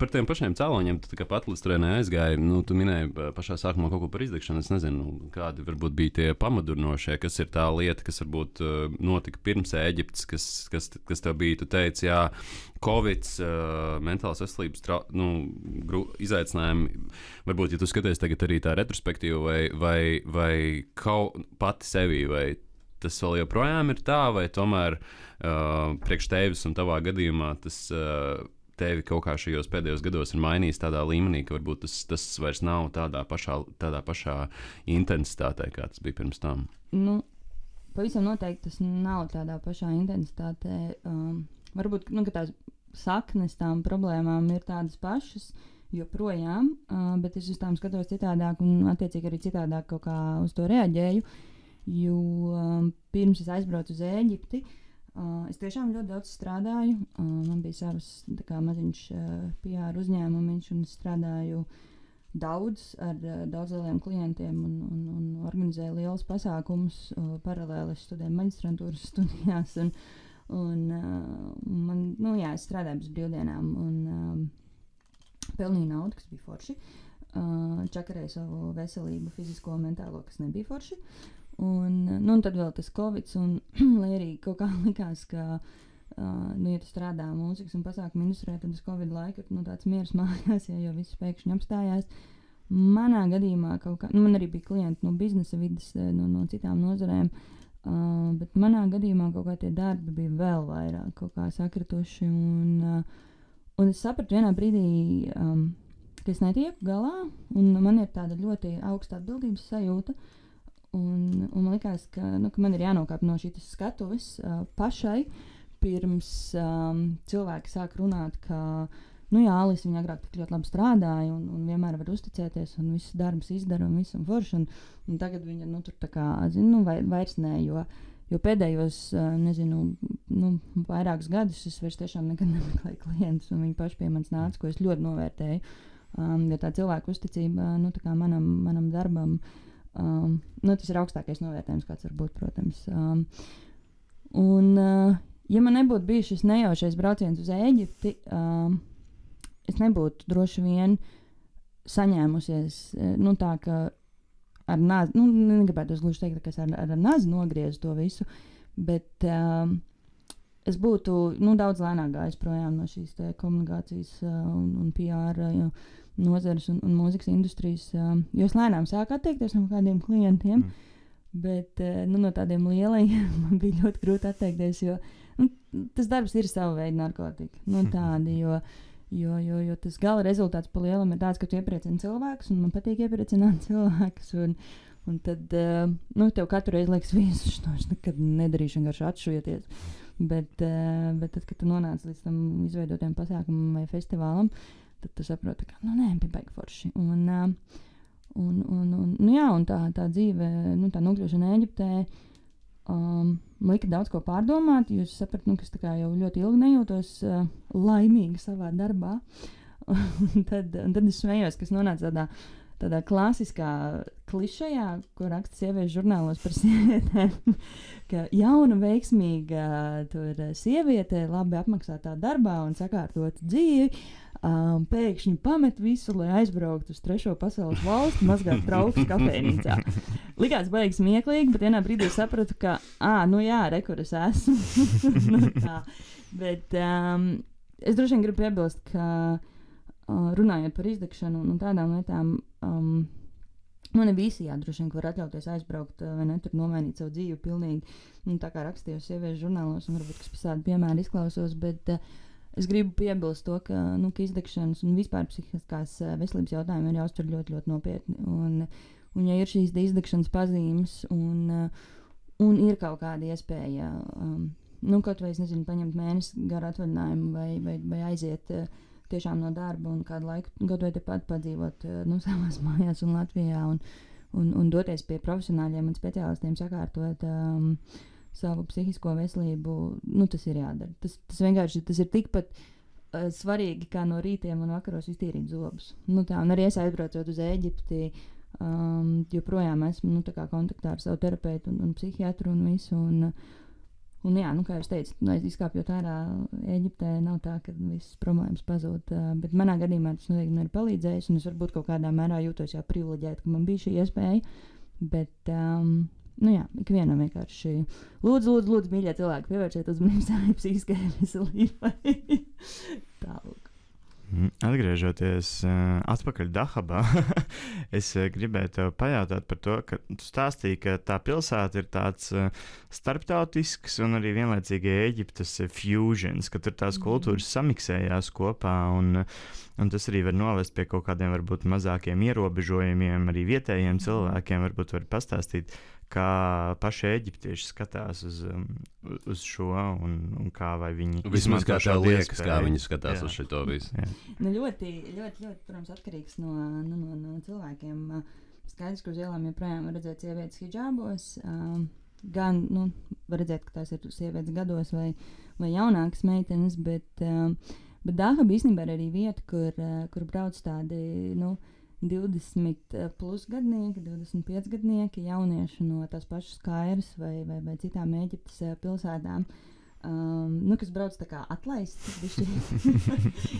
par tiem pašiem cēloņiem, tu kā patlistrēnē aizgāji, tu minēji pašā sākumā kaut ko par izdegšanu, es nezinu, kādi varbūt bija tie pamadurnošie, kas ir tā lieta, kas varbūt notika pirms Ēģiptes, kas tev bija, tu teici, Covids, mentālās veselības izaicinājumi, varbūt, ja tu skaties tagad arī tā retrospektīva vai kaut pati sevī, vai tas vēl joprojām ir tā, vai tomēr priekš tevis un tavā gadījumā tas tevi kaut kā šajos pēdējos gados ir mainījis tādā līmenī, ka varbūt tas vairs nav tādā pašā intensitātē, kā tas bija pirms tam? Pavisam noteikti tas nav tādā pašā intensitātē. Varbūt, ka tās saknes tām problēmām ir tādas pašas joprojām, bet es uz tām skatos citādāk un attiecīgi arī citādāk kaut kā uz to reaģēju, jo pirms es aizbraucu uz Ēģipti, es tiešām ļoti daudz strādāju. Man bija savs maziņš PR uzņēmumiņš un strādāju daudz ar daudz lieliem klientiem un organizēju lielus pasākumus. Paralēli es studēju maģistrantūras studijās un man, es strādāju bez brīvdienām un pelnīju naudu, kas bija forši. Čakarēju savu veselību, fizisko un mentālo, kas nebija forši. Un tad vēl tas Covid, un lai arī kaut kā likās, ka, ja tu strādā mūzikas un pasākumu industrijā, tad tas Covid laika ir tāds miers mājās, jo viss pēkšņi apstājās. Manā gadījumā kaut kā, man arī bija klienti no biznesa vidas, no citām nozarēm, bet manā gadījumā kaut kā tie darbi bija vēl vairāk kaut kā sakrituši, Un es sapratu vienā brīdī, ka es netieku galā, un man ir tāda ļoti augsta atbildības sajūta. Un man likās, ka man ir jānokāp no šīs skatuves pašai, pirms cilvēki sāk runāt, ka Alis viņa agrāk tik ļoti labi strādāja un vienmēr var uzticēties un visus darbus izdara un visam forši. Un tagad viņa tur tā kā, vairs nē, jo pēdējos, vairākus gadus es vairs tiešām nekad nemeklēju klientus un viņi paši pie manis nāca, ko es ļoti novērtēju. Jo tā cilvēku uzticība, tā kā manam darbam, tas ir augstākais novērtējums, kāds var būt, protams. Ja man nebūtu bijis šis nejaušais brauciens uz Ēģipti, es nebūtu droši vien saņēmusies, tā, ka ar nāzi, negribētu gluži teikt, ka es ar nāzi nogriezu to visu, bet es būtu, daudz lēnāk gājis projām no šīs komunikācijas un PR nozares un mūzikas industrijas, jo es lēnām sāku atteikties no kādiem klientiem, bet no tādiem lielajiem man bija ļoti grūti atteikties, jo tas darbs ir sava veida narkotika, tādi, jo tas gala rezultāts pa lielam ir tāds, ka tu iepriecini cilvēkus, un man patīk iepriecināt cilvēkus, un tad, tev katru reizi liekas visus, es nekad nedarīšu vienkārši atšujoties, bet tad, kad tu nonāc līdz tam izveidotiem pasākumam vai festivālam, tad tu saproti, ka, bija baigi forši. Un tā dzīve, tā nokļūšana Ēģiptē, lika daudz ko pārdomāt, jo es sapratu, ka es tā kā jau ļoti ilgi nejūtos laimīga savā darbā. un tad es smējos, ka es nonācu tādā klasiskā klišejā, ko raksta sieviešu žurnālos par sievietēm, ka jauna, veiksmīga sieviete, labi apmaksātā darbā un sakārtot dzīvi, pēkšņi pamet visu, lai aizbrauktu uz trešo pasaules valsti, mazgāt traukus kafejnīcā. Likās baigi smieklīgi, bet vienā brīdī sapratu, ka, kur es esmu. Tā. Bet es droši vien gribu piebilst, ka runājot par izdegšanu un tādām lietām, ne visi droši vien var atļauties aizbraukt vai ne, tur nomainīt savu dzīvi pilnīgi, tā kā rakstīju sieviešu žurnālos, un varbūt, kas pēc tādu piemēru izklausos, bet es gribu piebilst to, ka izdegšanas un vispār psihiskās veselības jautājumi ir jāuztver ļoti, ļoti nopietni. Un ja ir šīs izdegšanas pazīmes un ir kaut kāda iespēja, kaut vai, es nezinu, paņemt mēnesi garu atvaļinājumu vai aiziet tiešām no darba un kādu laiku, kaut vai tepat padzīvot savās mājās un Latvijā un doties pie profesionāļiem un speciālistiem sakārtot savu psihisko veselību, tas ir jādara. Tas vienkārši, tas ir tikpat svarīgi, kā no rītiem un vakaros iztīrīt zobus. Un arī es aizbraucot uz Ēģipti, joprojām esmu, tā kā kontaktā ar savu terapeitu un psihiatru un visu, un jā, kā jau es teicu, izkāpjot ārā Ēģiptē nav tā, ka visas problēmas pazūd, bet manā gadījumā tas noteikti man ir palīdzējis, un es varbūt kaut kādā mērā jūtos jau privileģēta, ka man bija šī iespēja, bet ikvienam vienkārši lūdzu, mīļie cilvēki, pievērsiet uzmanību savai psihiskajai veselībai. Tālāk. Atgriežoties atpakaļ Dahabā, es gribēju tev pajautāt par to, ka tu stāstīji, ka tā pilsēta ir tāds starptautisks un arī vienlaicīgi Ēģiptes fusions, ka tur tās kultūras samiksējās kopā un tas arī var novest pie kaut kādiem varbūt mazākiem ierobežojumiem arī vietējiem cilvēkiem, varbūt var pastāstīt, kā paši eģiptieši skatās uz šo un kā vai viņi vismaz kā tev liekas, kā viņi skatās uz šito visu. Ļoti, protams, atkarīgs no cilvēkiem. Skaidrs, ka uz ielām joprojām var redzēt sievietes hidžābos, gan, var redzēt, ka tās ir sievietes gados vai jaunākas meitenes, bet Dahaba īstenībā ir arī vieta, kur brauc tādi, 20 plus gadnieki, 25 gadnieki, jaunieši no tās pašas Kairas vai citām Ēģiptes pilsētām, kas brauc tā kā atlaisti,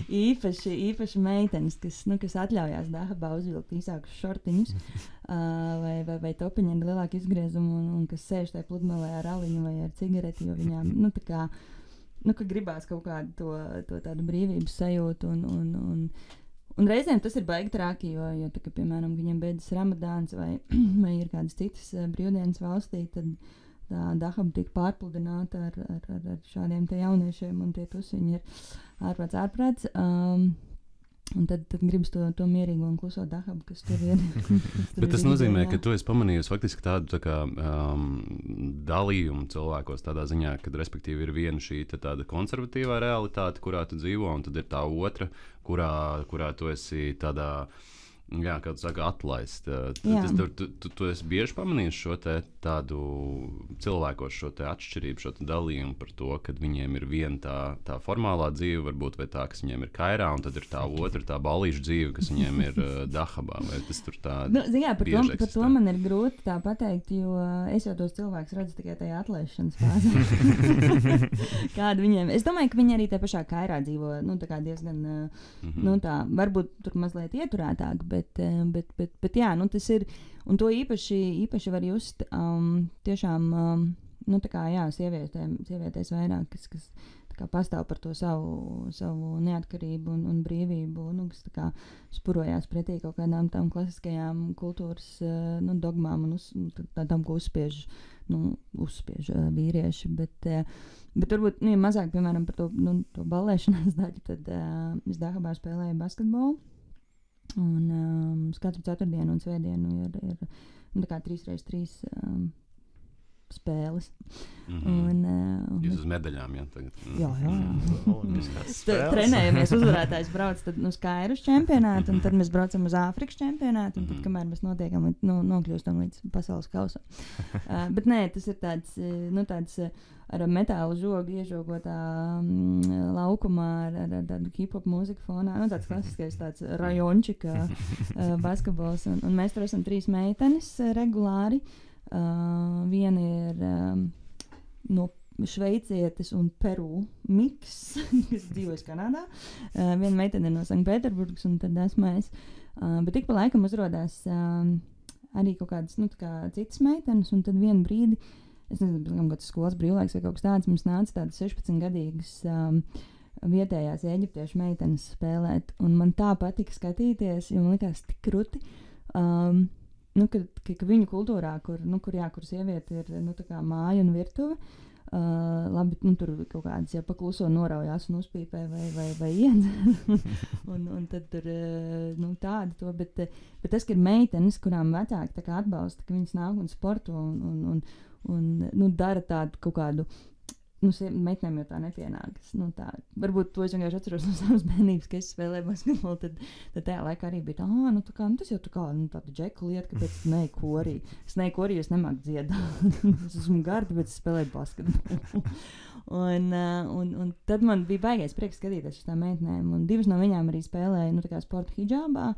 īpaši meitenes, kas atļaujās Dahabā uzvilkt īsākus šortiņus vai topiņi ar lielāku izgriezumu un kas sēž tajā pludmalē ar aliņu vai ar cigareti, jo viņām, tā kā, ka gribās kaut kādu to tādu brīvības sajūtu un reizēm tas ir baigi traki, jo tā, ka, piemēram, viņiem beidzas Ramadāns vai ir kādas citas brīvdienas valstī, tad tā Dahaba tiek pārpludināta ar šādiem te jauniešiem, un tie tusiņi ir ārprāts. Un tad gribas to mierīgo un kluso dahabu, kas tur ir. Bet tas nozīmē, ka tu esi pamanījusi faktiski tādu tā kā, dalījumu cilvēkos tādā ziņā, ka respektīvi ir viena šī tāda konservatīvā realitāte, kurā tu dzīvo, un tad ir tā otra, kurā tu esi tādā, jā, kā tu saka, atlaist. Tu esi bieži pamanījis šo tādu cilvēkos šo atšķirību, šo dalījumu par to, ka viņiem ir viena tā formālā dzīve, varbūt, vai tā, kas viņiem ir kairā, un tad ir tā otra, tā balīša dzīve, kas viņiem ir dahabā, vai tas tur tā jā, par to man ir grūti tā pateikt, jo es jau tos cilvēkus redzu tikai tajā atlaišanas fāzē. Kāda viņiem, es domāju, ka viņi arī tajā pašā kairā dzīvo, tā kā diezgan, tā, varbūt tur mazliet ieturētāk, bet jā, tas ir, un to īpaši var just tiešām, tā kā, jā, sievietēs vairāk, kas tā kā pastāv par to savu neatkarību un brīvību, kas tā kā spurojās pretī kaut kādām tām klasiskajām kultūras, dogmām un tādām, ko uzspiež vīrieši, bet varbūt, mazāk, piemēram, par to ballēšanās daļu, tad es Dahabā spēlēju basketbolu. Un katru ceturtdienu un svētdienu ir tā kā 3x3 spēles. Jūs uz medaļām, jā? Tagad. Jā. Trenējamies, uzvarētājs brauc tad uz Kairas čempionātu, un tad mēs braucam uz Āfrikas čempionātu, un tad, kamēr mēs nokļūstam līdz pasaules kausam. Bet nē, tas ir tāds ar metālu žogu iežogotā laukumā ar tādu hip-hop mūziku fonā. Tāds klasiskais tāds rajončika basketbols. Un mēs tur esam 3 meitenes regulāri. Viena ir no šveicietes un Peru miks, kas dzīvojas Kanādā. Viena meitene ir no Sanktpēterburgas, un tad esmu es. Bet tik pa laikam uzrodās arī kaut kādas citas meitenes, un tad vienu brīdi, es nezinu, kāds skolas brīvlaiks vai kaut kas tāds, mums nāca tādas 16-gadīgas vietējās eģiptiešu meitenes spēlēt, un man tā patika skatīties, jo man likās tik krūti, ka viņu kultūrā, kur sieviete ir tā kā māja un virtuve, labi, tur kaut kādas jau pakluso noraujās un uzpīpē vai iedzer, un tad tur tāda to, bet tas, ka ir meitenes, kurām vecāki tā kā atbalsta, ka viņas nāk un sporto un dara tādu kaut kādu, meitenēm jau tā nepienākas. Varbūt to es vienkārši atceros no savas bērnības, ka es spēlēju basketbolu, tad tajā laikā arī bija tas jau tāda džeku lieta, kāpēc es neju korī. Es neju korī, jo es nemāku dziedāt. Es esmu garda, bet es spēlēju basketbolu. un tad man bija baigais prieks skatīties uz tām meitenēm, un 2 no viņām arī spēlēja, tā kā sporta hidžābā,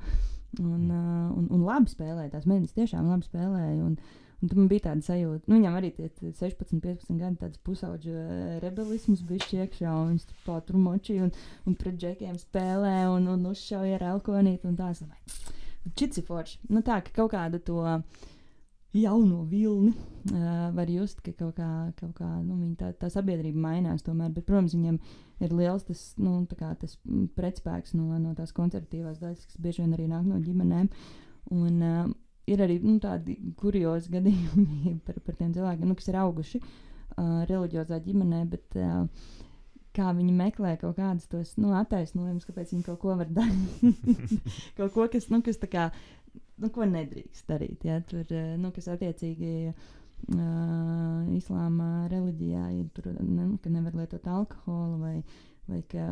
un labi spēlēja, tās meitenes tiešām labi spēlēja, un tad man bija tāda sajūta, viņam arī tie 16, 15 gadi tāds pusauģa rebelisms bišķi iekšā, un viņš tur močīja un pret džekiem spēlē un uzšauja ar elkonīti un tās. Čits ir forši. Tā, ka kaut kādu to jauno vilni var just, ka kaut kā viņa tā sabiedrība mainās tomēr, bet, protams, viņam ir liels tas, tas pretspēks no tās konservatīvās daļas, kas bieži vien arī nāk no ģimenēm. Un ir arī tādi kuriozi gadījumi par tiem cilvēkiem, kas ir auguši reliģiozā ģimenē, bet kā viņi meklē kaut kādus tos attaisnojumus, kāpēc viņi kaut ko var darīt. Kaut ko, kas tā kā, ko nedrīkst darīt. Ja? Tur, kas attiecīgi islāma reliģijā ir tur, ka nevar lietot alkoholu vai ka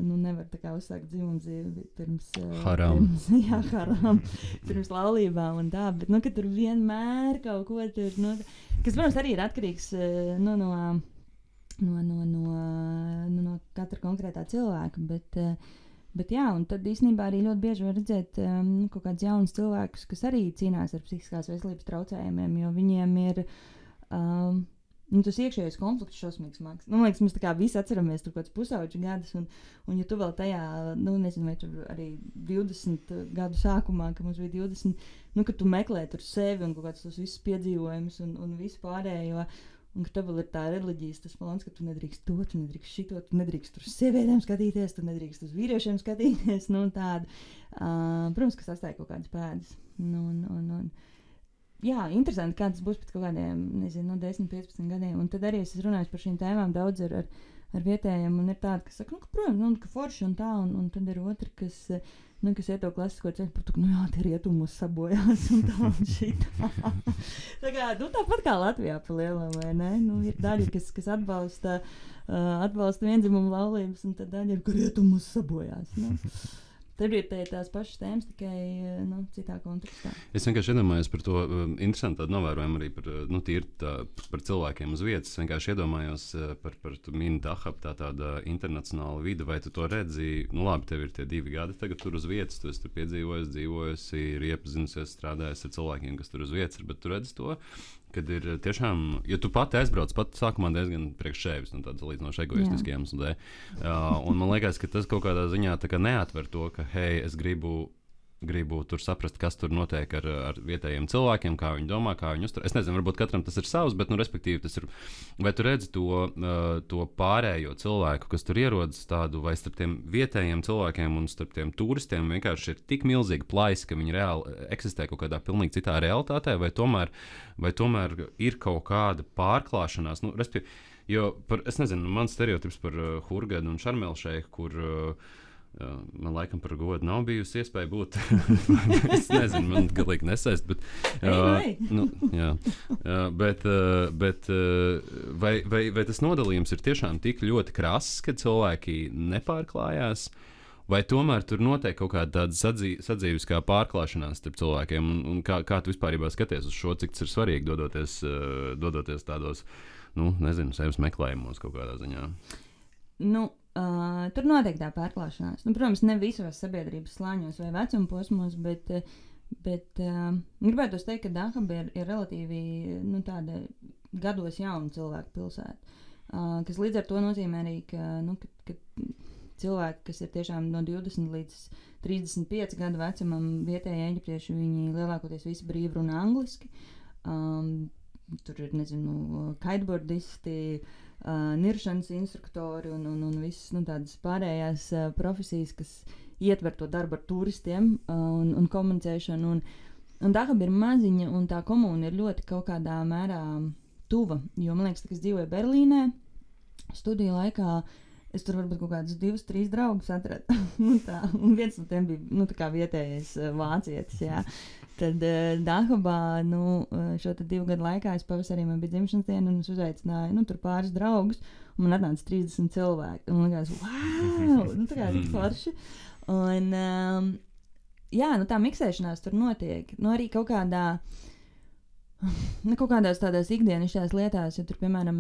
nevar tā kā uzsākt dzimumdzīvi pirms haram. Pirms laulībām un tā, bet ka tur vienmēr kaut ko tur, kas, protams, arī ir atkarīgs no katra konkrētā cilvēka, bet jā, un tad īstenībā arī ļoti bieži var redzēt kaut kādus jaunus cilvēkus, kas arī cīnās ar psihiskās veselības traucējumiem, jo viņiem ir tas iekšējais konflikts šausmīgs smags. Man liekas, mēs tā kā visi atceramies tur kāds pusauģu gadus, un ja tu vēl tajā, nezinu, vai tur arī 20 gadu sākumā, ka mums bija 20, ka tu meklē tur sevi un kaut kāds tos visus piedzīvojumus un visu pārējo, un ka tev vēl ir tā reliģijas tas plāns, ka tu nedrīkst to, tu nedrīkst šito, tu nedrīkst tur sievietēm skatīties, tu nedrīkst uz vīriešiem skatīties, tādu. Protams, ka sastāja kaut kādas pēdas. Jā, interesanti, kā tas būs pēc kaut kādiem, 10, 15 gadiem. Un tad arī es runāju par šīm tēmām daudz ar ar vietējiem, un ir tādi, kas saka, ka, protams, ka forši un tā, un tad ir otri, kas iet to klasisko ceļu, par to, ka, tie rietumus sabojās un tā un šitā. Tāpat kā Latvijā pa lielam, vai ne? Ir daļa, kas atbalsta viendzimumu laulības, un tad daļa ir, ka rietumus sabojās. Tur ir tās pašas tēmas, tikai citā kontekstā. Es vienkārši iedomājos par to interesantu novērojumu arī par cilvēkiem uz vietas. Es vienkārši iedomājos par mini Dahab, tāda internacionāla vide, vai tu to redzi? Labi, tev ir tie 2 gadi tagad tur uz vietas, tu esi tur piedzīvojis, dzīvojusi, ir iepazinusies, strādājis ar cilvēkiem, kas tur uz vietas ir, bet tu redzi to, kad ir tiešām, ja tu pati aizbrauc, sākumā diezgan priekš sevis, tādas līdzinoši egoistiskiem iemesliem. Un man liekas, ka tas kaut kādā ziņā neatver to, ka, hei, es gribu tur saprast, kas tur notiek ar vietējiem cilvēkiem, kā viņi domā, kā viņi uztur. Es nezinu, varbūt katram tas ir savs, bet, respektīvi, tas ir. Vai tu redzi to pārējo cilvēku, kas tur ierodas tādu, vai starp tiem vietējiem cilvēkiem un starp tiem turistiem vienkārši ir tik milzīga plaisa, ka viņi reāli eksistē kaut kādā pilnīgi citā realitātē, vai tomēr ir kaut kāda pārklāšanās? Jo, es nezinu, mans stereotips par Hurgadu un Šarmelšeiku, kur man laikam par godu nav bijusi iespēja būt. Es nezinu, man galīgi nesaist, bet, bet vai tas nodalījums ir tiešām tik ļoti krass, ka cilvēki nepārklājās, vai tomēr tur notiek kaut kāda tāda sadzīviskā pārklāšanās starp cilvēkiem, un kā tu vispārībā skaties uz šo, cik tas ir svarīgi dodoties tādos, nezinu, sevis meklējumos kaut kādā ziņā? Tur notiek tā pārklāšanās. Protams, ne visos sabiedrības slāņos vai vecuma posmos, bet gribētu teikt, ka Dahaba ir relatīvi tāda gados jauna cilvēku pilsēta, kas līdz ar to nozīmē arī, ka cilvēki, kas ir tiešām no 20 līdz 35 gadu vecumam, vietējie eģiptieši, viņi lielākoties visi brīvi runā angliski. Tur ir, kiteboardisti, niršanas instruktori un visas tādas pārējās profesijas, kas ietver to darbu ar turistiem un komunicēšanu. Un Dahaba ir maziņa, un tā komūna ir ļoti kaut kādā mērā tuva. Jo man liekas, ka es dzīvoju Berlīnē, studiju laikā es tur varbūt kaut kādus 2-3 draugus atradu. Un viens no tiem bija vietējais vācietis. Jā. Tad Dahabā šo 2 gadu laikā es pavasarī man bija dzimšanas diena, un es uzaicināju tur pāris draugus, un man atnāca 30 cilvēki. Un man likās, wow! Tā kā tik forši. Un tā miksēšanās tur notiek. Arī kaut kādās tādās ikdienišķās lietās, ja tur, piemēram,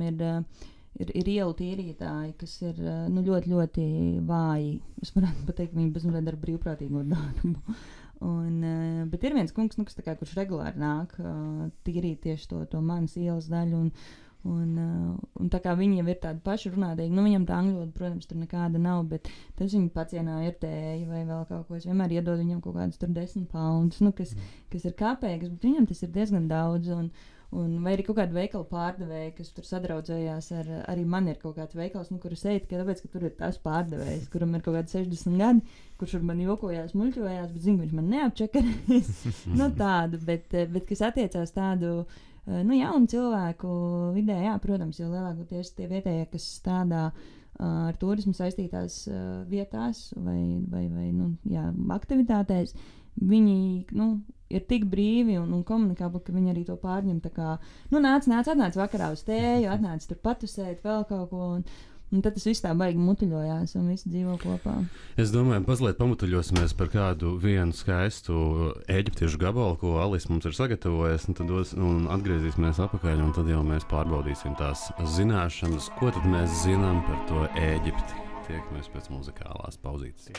ir ielu tīrītāji, kas ir ļoti, ļoti vāji. Es varētu pateikt, ka viņi bezmazliet dara brīvprātīgo darbu. Bet ir viens kungs, kurš regulāri nāk tīrīt tieši to manas ielas daļu. Un tā kā viņi jau ir tādi paši runātīgi, viņam tā angļu valoda, protams, tur nekāda nav, bet tas viņa pacienā ir tēja vai vēl kaut ko. Es vienmēr iedodu viņam kaut kādus tur 10 poundus, kas ir kāpējas, bet viņam tas ir diezgan daudz. Vai arī kaut kāda veikala pārdevēja, kas tur sadraudzējās arī man ir kaut kāds veikals, kur es eju tikai tāpēc, ka tur ir tas pārdevējs, kuram ir kaut kādi 60 gadi, kurš ar mani jokojās, muļķojās, bet zinu, viņš man neapčakarēs. Tādu, bet kas attiecās tādu jaunu cilvēku vidē, jā, protams, jo lielākoties tie vietējie, kas strādā ar turismu saistītās vietās vai aktivitātēs, viņi ir tik brīvi un komunikābli, ka viņi arī to pārņem. Tā kā atnāc vakarā uz tēju, atnāc tur patusēt vēl kaut ko. Un tad tas viss tā baigi mutuļojās un visi dzīvo kopā. Es domāju, mazliet pamutuļosimies par kādu vienu skaistu eģiptiešu gabalu, ko Alis mums ir sagatavojis, un atgriezīsimies atpakaļ, un tad jau mēs pārbaudīsim tās zināšanas, ko tad mēs zinām par to Ēģipti. Tiekamies pēc muzikālās pauzītes.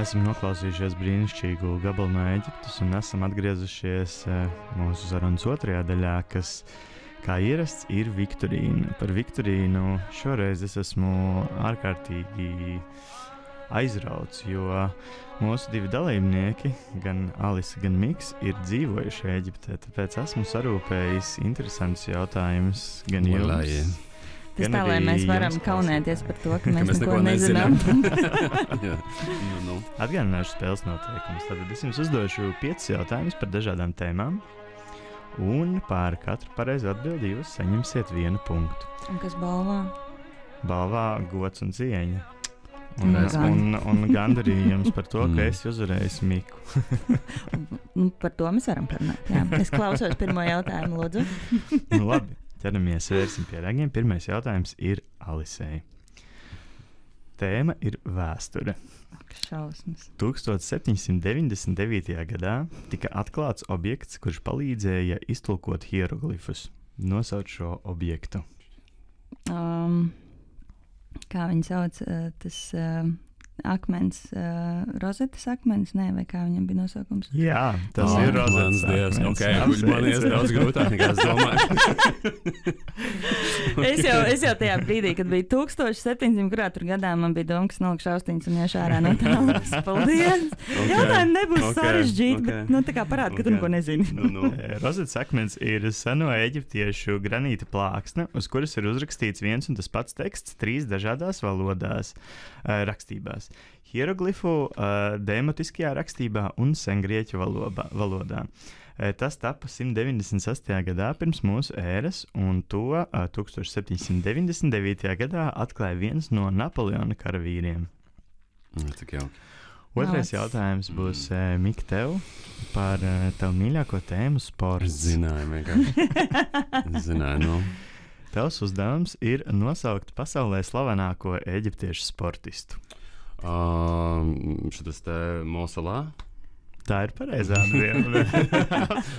Esam noklausījušies brīnišķīgu gabalu no Ēģiptes un esam atgriezušies mūsu sarunas otrajā daļā, kas, kā ierasts, ir Viktorīna. Par Viktorīnu šoreiz es esmu ārkārtīgi aizrauts, jo mūsu divi dalībnieki, gan Alise, gan Miks, ir dzīvojuši Ēģiptē, tāpēc esmu sarūpējis interesantus jautājumus gan jums. Tas tā, lai mēs varam kaunēties par to, ka mēs neko nezinām. Atgādināšu spēles noteikumus. Tad es jums uzdošu 5 jautājumus par dažādām tēmām, un par katru pareizu atbildi jūs saņemsiet 1 punktu. Un kas balvā? Balvā gods un cieņa. Un gandarījums par to, ka esi uzvarējis Miku. Par to mēs varam parunāt. Jā. Es klausos pirmo jautājumu, lūdzu. Labi. Ķeramies, vērsim pie ragiem. Pirmais jautājums ir Alisei. Tēma ir vēsture. Šausmas. 1799. gadā tika atklāts objekts, kurš palīdzēja iztulkot hieroglifus. Nosauc šo objektu. Kā viņi sauc, tas akmens, rozetes akmens, nē, vai kā viņam bija nosaukums? Jā, tas ir rozetes akmens. Okay, man ir daudz grūtāk nekā es domāju. es jau tajā brīdī, kad bija 1700 kurā tur gadā, man bija doma, ka nolikšu austiņas un iešu ārā no tālās. Paldies! Jautājumi nebūs sarežģīti, bet tā kā parāda, ka tu neko nezini. Rozetes akmens ir seno eģiptiešu granīta plāksne, uz kuras ir uzrakstīts viens un tas pats teksts 3 dažādās valodās rakstībās. Hieroglifu demotiskajā rakstībā un sengrieķu valodā. Tas tapa 198. gadā pirms mūsu ēras, un to 1799. gadā atklāja viens no Napoleona karavīriem. Cik jauki. Otrais jautājums būs Mika tev par tavu mīļāko tēmu sports. Zināju, vienkārši. Zināju, Tavs uzdevums ir nosaukt pasaulē slavenāko eģiptiešu sportistu. Šitas te Mosalā? Tā ir pareizā atbilde.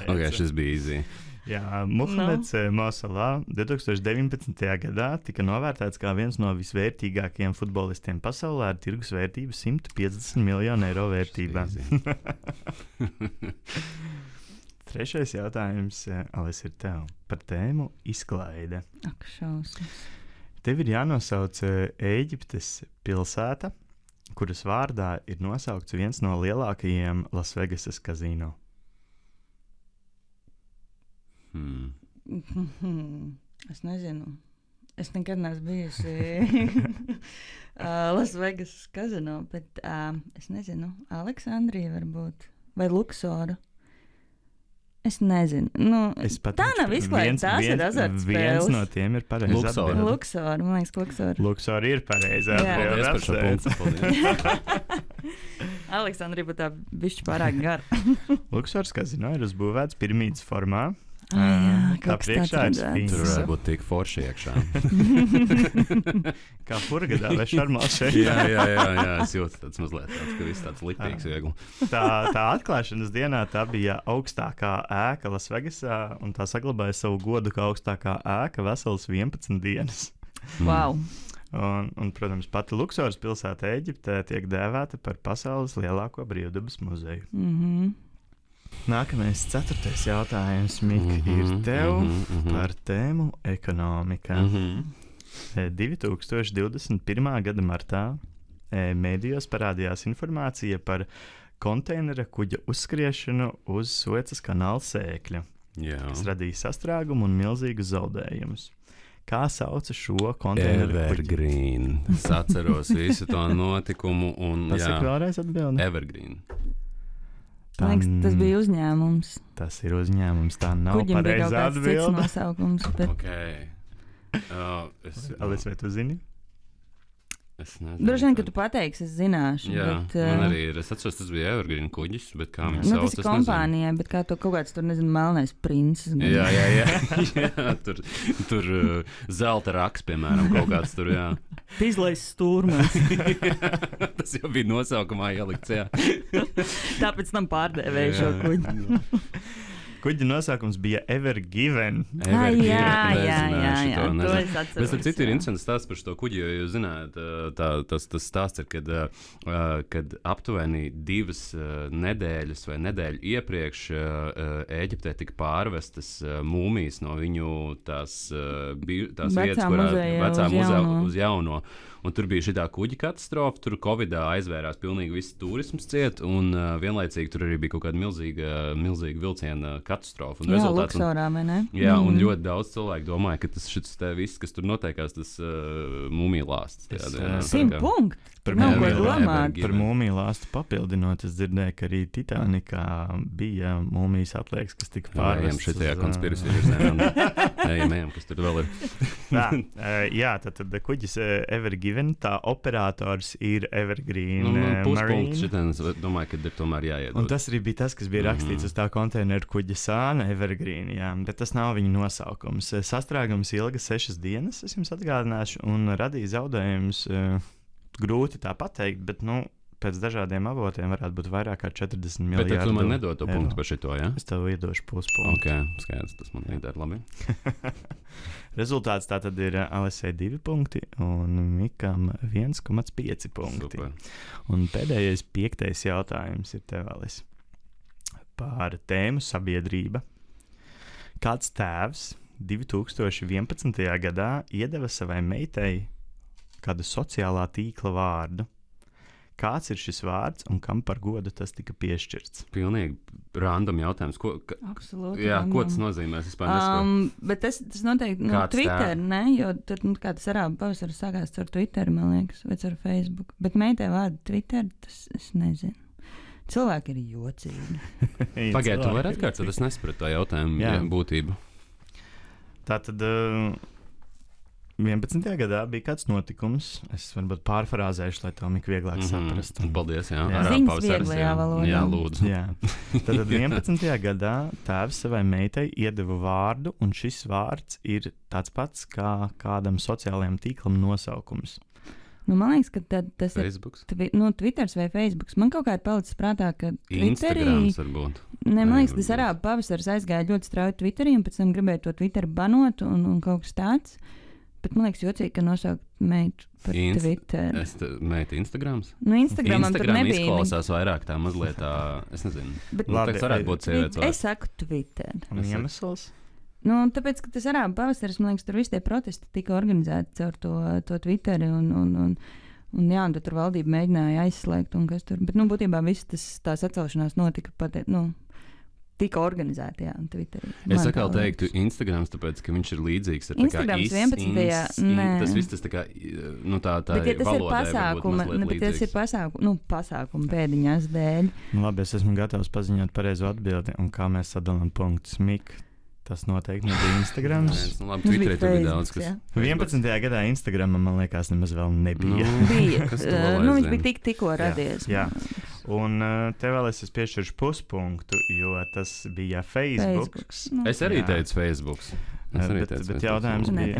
Ok, šis bija easy. Jā, Muhameds Mosalā 2019. gadā tika novērtēts kā viens no visvērtīgākajiem futbolistiem pasaulē ar tirgus vērtību 150 miljonu eiro vērtībā. Trešais jautājums, Alise, ir tev par tēmu izklaide. Ak, šausmas. Tev ir jānosauc Ēģiptes pilsēta, kuras vārdā ir nosaukts viens no lielākajiem Lasvegasas kazino. Es nezinu. Es nekad neesmu bijusi Lasvegasas kazino, bet es nezinu. Aleksandrija varbūt. Vai Luksoru. Es nezinu. Tā nav izklaide, tās ir azartspēles. Viens no tiem ir pareizā atbilde. Luksor, man liekas, Luksor. Luksor ir pareizā atbilde. Paldies par šo punktu. Aleksandrija būtu tā bišķi pārāk gara. Luksors kazino ir uzbūvēts piramīdas formā. Tā priekšā ir spīns. Tur varētu būt tik forši iekšā. Kā Hurgadā vai Šarmā šeit. Jā, es jūtu tāds mazliet tāds, ka viss tāds litīgs viegli. Tā atklāšanas dienā tā bija augstākā ēka Lasvegasā, un tā saglabāja savu godu kā augstākā ēka veselas 11 dienas. Wow! Un, protams, pati Luksors pilsēta Ēģiptē tiek dēvēta par pasaules lielāko brīvdabas muzeju. Nākamais 4. jautājums, Mika, ir tev par tēmu ekonomika. 2021. gada martā mēdījos parādījās informācija par konteinera kuģa uzskriešanu uz Suecas kanāla sēkļa. Tas radīja sastrēgumu un milzīgus zaudējumus. Kā sauca šo konteineru kuģi? Evergreen. Es atceros visu to notikumu. Tas ir vēlreiz atbildi? Evergreen. Man liekas, tas bija uzņēmums. Tas ir uzņēmums, tā nav pareizā atbilde. Kuģim bija kaut kāds cits nosaukums. Bet... Okay. Alise, vai tu zini? Es nezinu. Droši vien, ka tu pateiksi, es zināšu. Jā, bet, man arī ir. Es atceros, tas bija Evergreen kuģis, bet kā viņu sauc, tas ir kompānijai, bet kā to kaut kāds tur, nezinu, melnais princis. Jā. Jā, tur zelta raks, piemēram, kaut kāds tur, jā. Pizlais stūrmans. Tas jau bija nosaukumā ielikts, jā. Tāpēc tam pārdēvēju šo kuģi. Kuģa nosaukums bija Evergiven. Jā, to es atceros. Bet ar citu ir interesants stāsts par šo kuģi, jo jūs zināt, tas stāsts ir, kad aptuveni 2 nedēļas vai nedēļu iepriekš Ēģiptē tika pārvestas mūmijas no viņu tās vietas, kurā vecā muzeja uz jauno. Un tur bija šī kuģa katastrofa, tur Covidā aizvērās pilnīgi viss turisms ciet, un vienlaicīgi tur arī bija kaut kāda milzīga vilciena katastrofa. Un jā, Luksorā, vai ne? Jā, un ļoti daudz cilvēku domāja, ka tas viss, kas tur notiekās, tas mūmija lāsts. 100 punkti! Par mūmiju lāstu papildinot, es dzirdēju, ka arī Titanikā bija mūmijas atliekas, kas tika pārvestas. Šitajā konspirācija virzienā. Ejam, kas tur vēl ir. Jā, tad kuģis Evergiven, tā operators ir Evergreen Puspunkts šitien, es domāju, ka ir tomēr jāiedod. Un tas arī bija tas, kas bija rakstīts uz tā konteineru kuģa sāna Evergreen, jā, bet tas nav viņa nosaukums. Sastrēgums ilga 6 dienas, es jums atgādināšu, un radīja zaudējumus. Grūti tā pateikt, bet, pēc dažādiem avotiem varētu būt vairāk kā 40 miljardi. Bet tu man nedod to punktu par šito, jā? Es tev iedošu puspunktu. Ok, skaidrs, tas man iedara labi. Rezultāts tātad ir Alisei 2 punkti un Mikam 1,5 punkti. Super. Un pēdējais 5. jautājums ir tev, Alis. Par tēmu sabiedrība. Kāds tēvs 2011. gadā iedeva savai meitai kādu sociālā tīkla vārdu. Kāds ir šis vārds un kam par godu tas tika piešķirts? Pilnīgi random jautājums. Absolūti. Jā, ko tas nozīmē? Es vispār nesaprotu. Bet tas noteikti Twitter, ne? Jo tur kā tas arābu pavasaris sākās ar Twitter, man liekas, vai ar Facebook. Bet meitai vārdu Twitter, tas es nezinu. Cilvēki ir jocīgi. Pagaidu, tu vari atkārtot, es nesapratu tā jautājumu būtību. Tātad 11. gadā bija kāds notikums. Es varbūt pārfrāzēšu, lai to Mika vieglāk saprastu. Paldies, jā. Ziņas vieglajā valodā. Jā, lūdzu. Jā. Tad 11. gadā tēvs savai meitai iedeva vārdu, un šis vārds ir tāds pats kā kādam sociālajam tīklam nosaukums. Man liekas, ka tas Facebooks? ir Twitters vai Facebooks. Man kaut kā ir palicis prātā, ka Instagrams varbūt. Man liekas, tas arābu pavasaris aizgāja ļoti strauji Twitterī, un pēc tam gribēja to Twitter banot un kaut kas tāds. Bet man liekas, jocīgi, ka nosaukt meitu par Twitter. Meita Instagrams? Instagramam tur nebija. Izklausās vairāk tā mazliet tā, es nezinu. Bet tas varētu būt sievietes vārds. Es saku Twitter. Un iemesls? Tāpēc, ka tas arābu pavasaris, man liekas, tur visi tie protesti tika organizēti caur to Twitteri un tad tur valdība mēģināja aizslēgt un kas tur. Bet, būtībā viss tā sacelšanās notika tika organizēti, jā, Twitterī. Es atkal teiktu Instagrams, tāpēc, ka viņš ir līdzīgs ar Instagrams 11. Tas viss tas tā kā, tā bet, ja tas ir pasākuma pēdiņās dēļ. Labi, es esmu gatavs paziņot pareizo atbildi, un kā mēs sadalām punktus. Mik, tas noteikti nebija Instagrams. Labi, Twitterī tur bija daudz, kas... 11. gadā Instagramam, man liekas, nemaz vēl nebija. Bija. Viņš bija tikko radies. Jā. Un tev vēl es piešķiršu puspunktu, jo tas bija Facebook. Es arī teicu Facebook. Bet jautājums bija.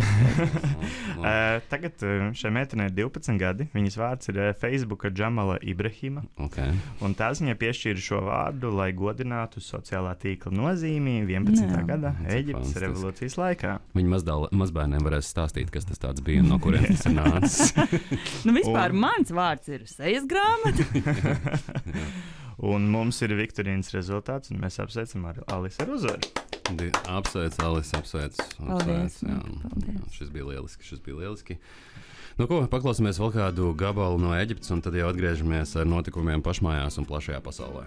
Tagad šai meitenei ir 12 gadi. Viņas vārds ir Facebooka Džamala Ibrahima. Okay. Un tās viņai piešķīra šo vārdu, lai godinātu sociālā tīkla nozīmi 11. gadā Ēģiptes revolūcijas laikā. Viņa mazbērniem varēs stāstīt, kas tas tāds bija un no kuriem tas ir nācis. Vispār mans vārds ir sejas grāmata. Un mums ir Viktorīnas rezultāts, un mēs apsveicam Alisu ar uzvaru. Apsveic, Alis, apsveic. Paldies. Šis bija lieliski. Paklausīsimies vēl kādu gabalu no Ēģiptes, un tad jau atgriežamies ar notikumiem pašmājās un plašajā pasaulē.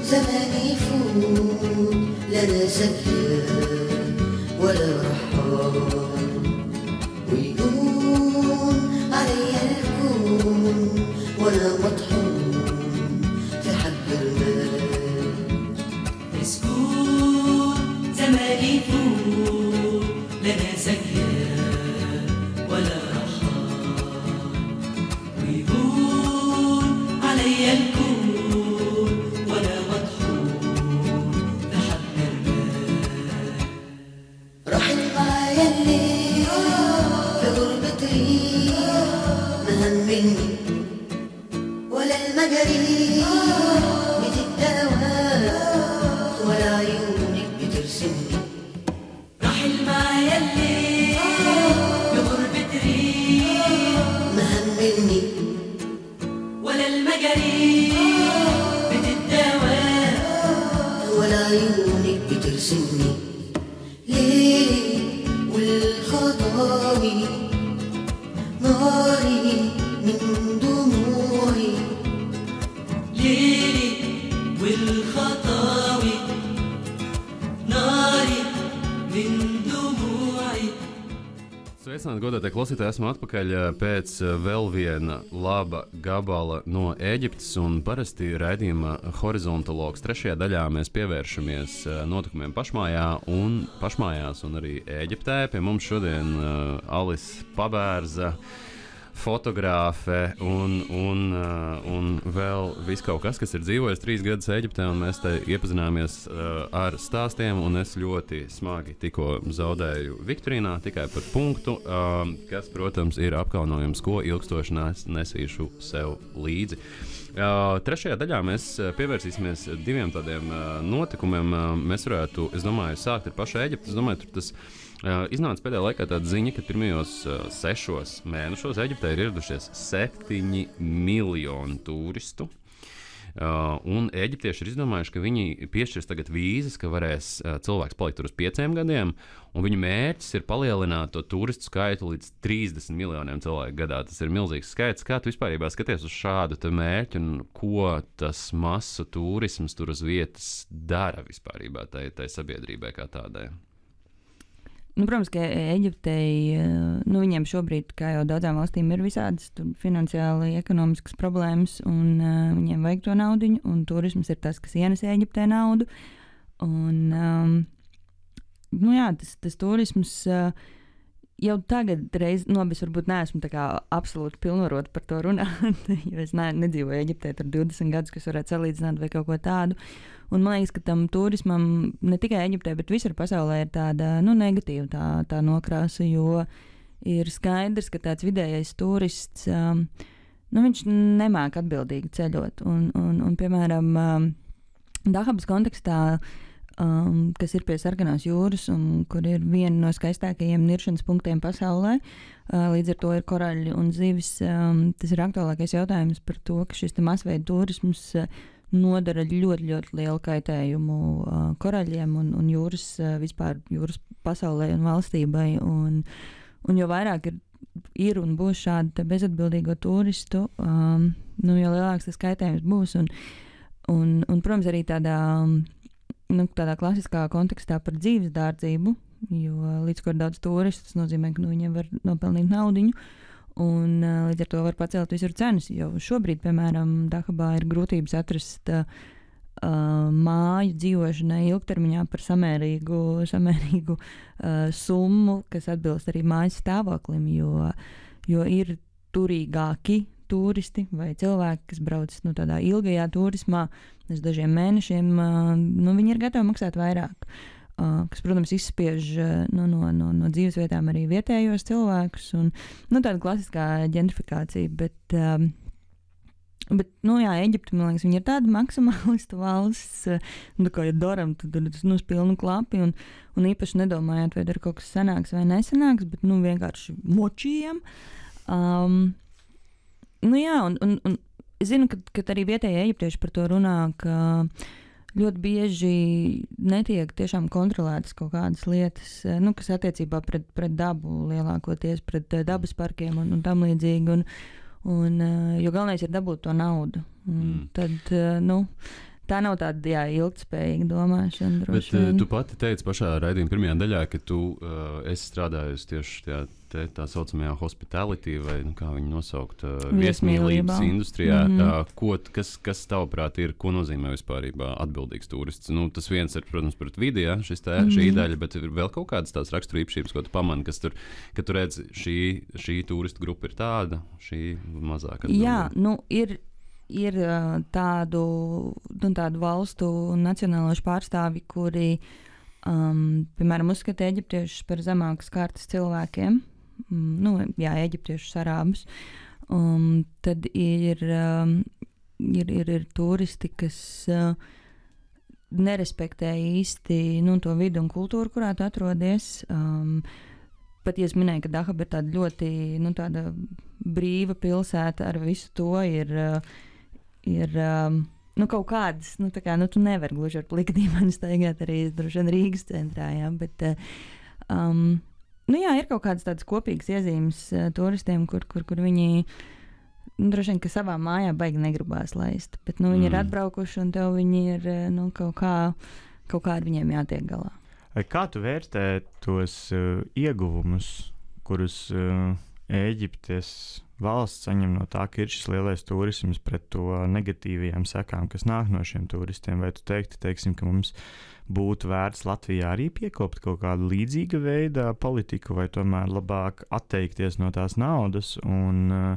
زماني يفوت لا لا زكيان ولا رحال ويقوم علي الكون ولا مطحون في حب المال. مسكون زماني يفوت لنا زكيان ولا رحال، ويهون علي الكون ولا مطحون في حب المال. رحل معايا الليل في غربة ريح، ما همني ولا المجاري بتداوى ولا عيونك بترسمني. رحل معايا الليل بغربة ريح، ما همني ولا المجاري بتداوى ولا عيونك بترسمني. ليلي والخطاوي ناري من دموعي. ليلي والخطاوي ناري من دموعي. Sveicināti, godātie klausītāji! Esmu atpakaļ pēc vēl viena laba gabala no Ēģiptes. Un parasti raidījuma horizontologs trešajā daļā mēs pievēršamies notikumiem pašmājās un arī Ēģiptē. Pie mums šodien Alise Pabērza, fotogrāfe un vēl viss kaut kas, kas ir dzīvojis 3 gadus Ēģiptē, un mēs te iepazināmies ar stāstiem, un es ļoti smagi tikko zaudēju Viktorīnā tikai par punktu, kas, protams, ir apkaunojums, ko ilgstoši nesīšu sev līdzi. Trešajā daļā mēs pievērsīsimies 2 tādiem notikumiem. Mēs varētu, es domāju, sākt ar pašu Ēģipti. Es domāju, tur tas iznāca pēdējā laikā tāda ziņa, ka pirmajos 6 mēnešos Ēģiptē ir ieradušies 7 miljoni turistu. Un ēģiptieši ir izdomājuši, ka viņi piešķirs tagad vīzas, ka varēs cilvēks palikt tur uz 5 gadiem, un viņu mērķis ir palielināt to turistu skaitu līdz 30 miljoniem cilvēku gadā. Tas ir milzīgs skaits. Kā tu vispārībā skaties uz šādu mērķi, un ko tas masu turisms tur uz vietas dara vispārībā tai sabiedrībai kā tādai? Nu, protams, ka Ēģiptei, viņiem šobrīd, kā jau daudzām valstīm, ir visādas finansiāli ekonomiskas problēmas, un viņiem vajag to naudiņu, un turisms ir tas, kas ienes Ēģiptei naudu. Un, tas turisms jau tagad reiz, es varbūt neesmu tā kā absolūti pilnvarota par to runāt, jo es nedzīvoju Ēģiptē tur 20 gadus, kas varētu salīdzināt vai kaut ko tādu. Un man liekas, ka tam turismam ne tikai Ēģiptē, bet visur pasaulē ir tāda negatīva tā nokrāsa, jo ir skaidrs, ka tāds vidējais turists, viņš nemāk atbildīgi ceļot. Un piemēram, Dahabas kontekstā, kas ir pie Sarkanās jūras un kur ir viena no skaistākajiem niršanas punktiem pasaulē, līdz ar to ir koraļi un zivis. Tas ir aktuālākais jautājums par to, ka šis masveida turisms nodara ļoti, ļoti lielu kaitējumu koraļiem un vispār jūras pasaulē un valstībai. Un jo vairāk ir un būs šādu bezatbildīgo turistu, jo lielāks tas kaitējums būs. Un protams, arī tādā klasiskā kontekstā par dzīves dārdzību, jo līdz ko ir daudz turistu, tas nozīmē, ka viņiem var nopelnīt naudiņu. Un līdz ar to var pacelt visur cenas, jo šobrīd, piemēram, Dahabā ir grūtības atrast māju dzīvošanai ilgtermiņā par samērīgu summu, kas atbilst arī mājas stāvoklim, jo ir turīgāki turisti vai cilvēki, kas brauc tādā ilgajā turismā, uz dažiem mēnešiem, viņi ir gatavi maksāt vairāk. Kas, protams, izspiež no dzīvesvietām arī vietējos cilvēkus, un tāda klasiskā ģentrifikācija, bet Ēģipte, man liekas, viņi ir tāda maksimālistu valsts, kā ja daram, tad uz pilnu klapi, un īpaši nedomājot, vai dar kaut kas sanāks vai nesanāks, bet vienkārši močījam. Un es zinu, ka arī vietējie eģiptieši par to runā, ka ļoti bieži netiek tiešām kontrolētas kaut kādas lietas, kas attiecībā pret dabu lielākoties, pret dabas parkiem un tam līdzīgi. Jo galvenais ir dabūt to naudu. Tad, tā nav tāda ilgtspējīga domāšana. Bet tu pati teici pašā raidījuma pirmajā daļā, ka tu esi strādājusi tieši tajā tā saucamajā hospitality, vai kā viņu nosaukt, Viesmīlībā. viesmīlības industrijā. Kas tavuprāt ir, ko nozīmē vispārībā atbildīgs turists? Nu, tas viens ir, protams, pret vidi, ja, šī daļa, bet ir vēl kaut kādas tās raksturīpašības, ko tu pamani, ka tu redz, šī turistu grupa ir tāda, šī mazāk atbildīga. Jā, ir tādu valstu un nacionālošu pārstāvi, kuri, piemēram, uzskata eģiptiešus par zemākas kārtas cilvēkiem. Eģiptiešus, arābus. Tad ir turisti, kas nerespektē īsti to vidu un kultūru, kurā tu atrodies. Pat, ja es minēju, ka Dahab ir tāda ļoti tāda brīva pilsēta, ar visu to ir kaut kādas, tu nevari gluži ar plikdīmeni staigāt arī droši vien Rīgas centrā, jā, bet ir kaut kādas tādas kopīgas iezīmes turistiem, kur viņi droši vien, ka savā mājā baigi negribās laist, bet viņi ir atbraukuši un tev viņi ir kaut kā ar viņiem jātiek galā. Kā tu vērtē tos ieguvumus, kurus Ēģiptes valsts saņem no tā, ka ir šis lielais turisms pret to negatīvajām sekām, kas nāk no šiem turistiem? Vai tu teiksim, ka mums būtu vērts Latvijā arī piekopt kaut kādu līdzīga veida politiku, vai tomēr labāk atteikties no tās naudas un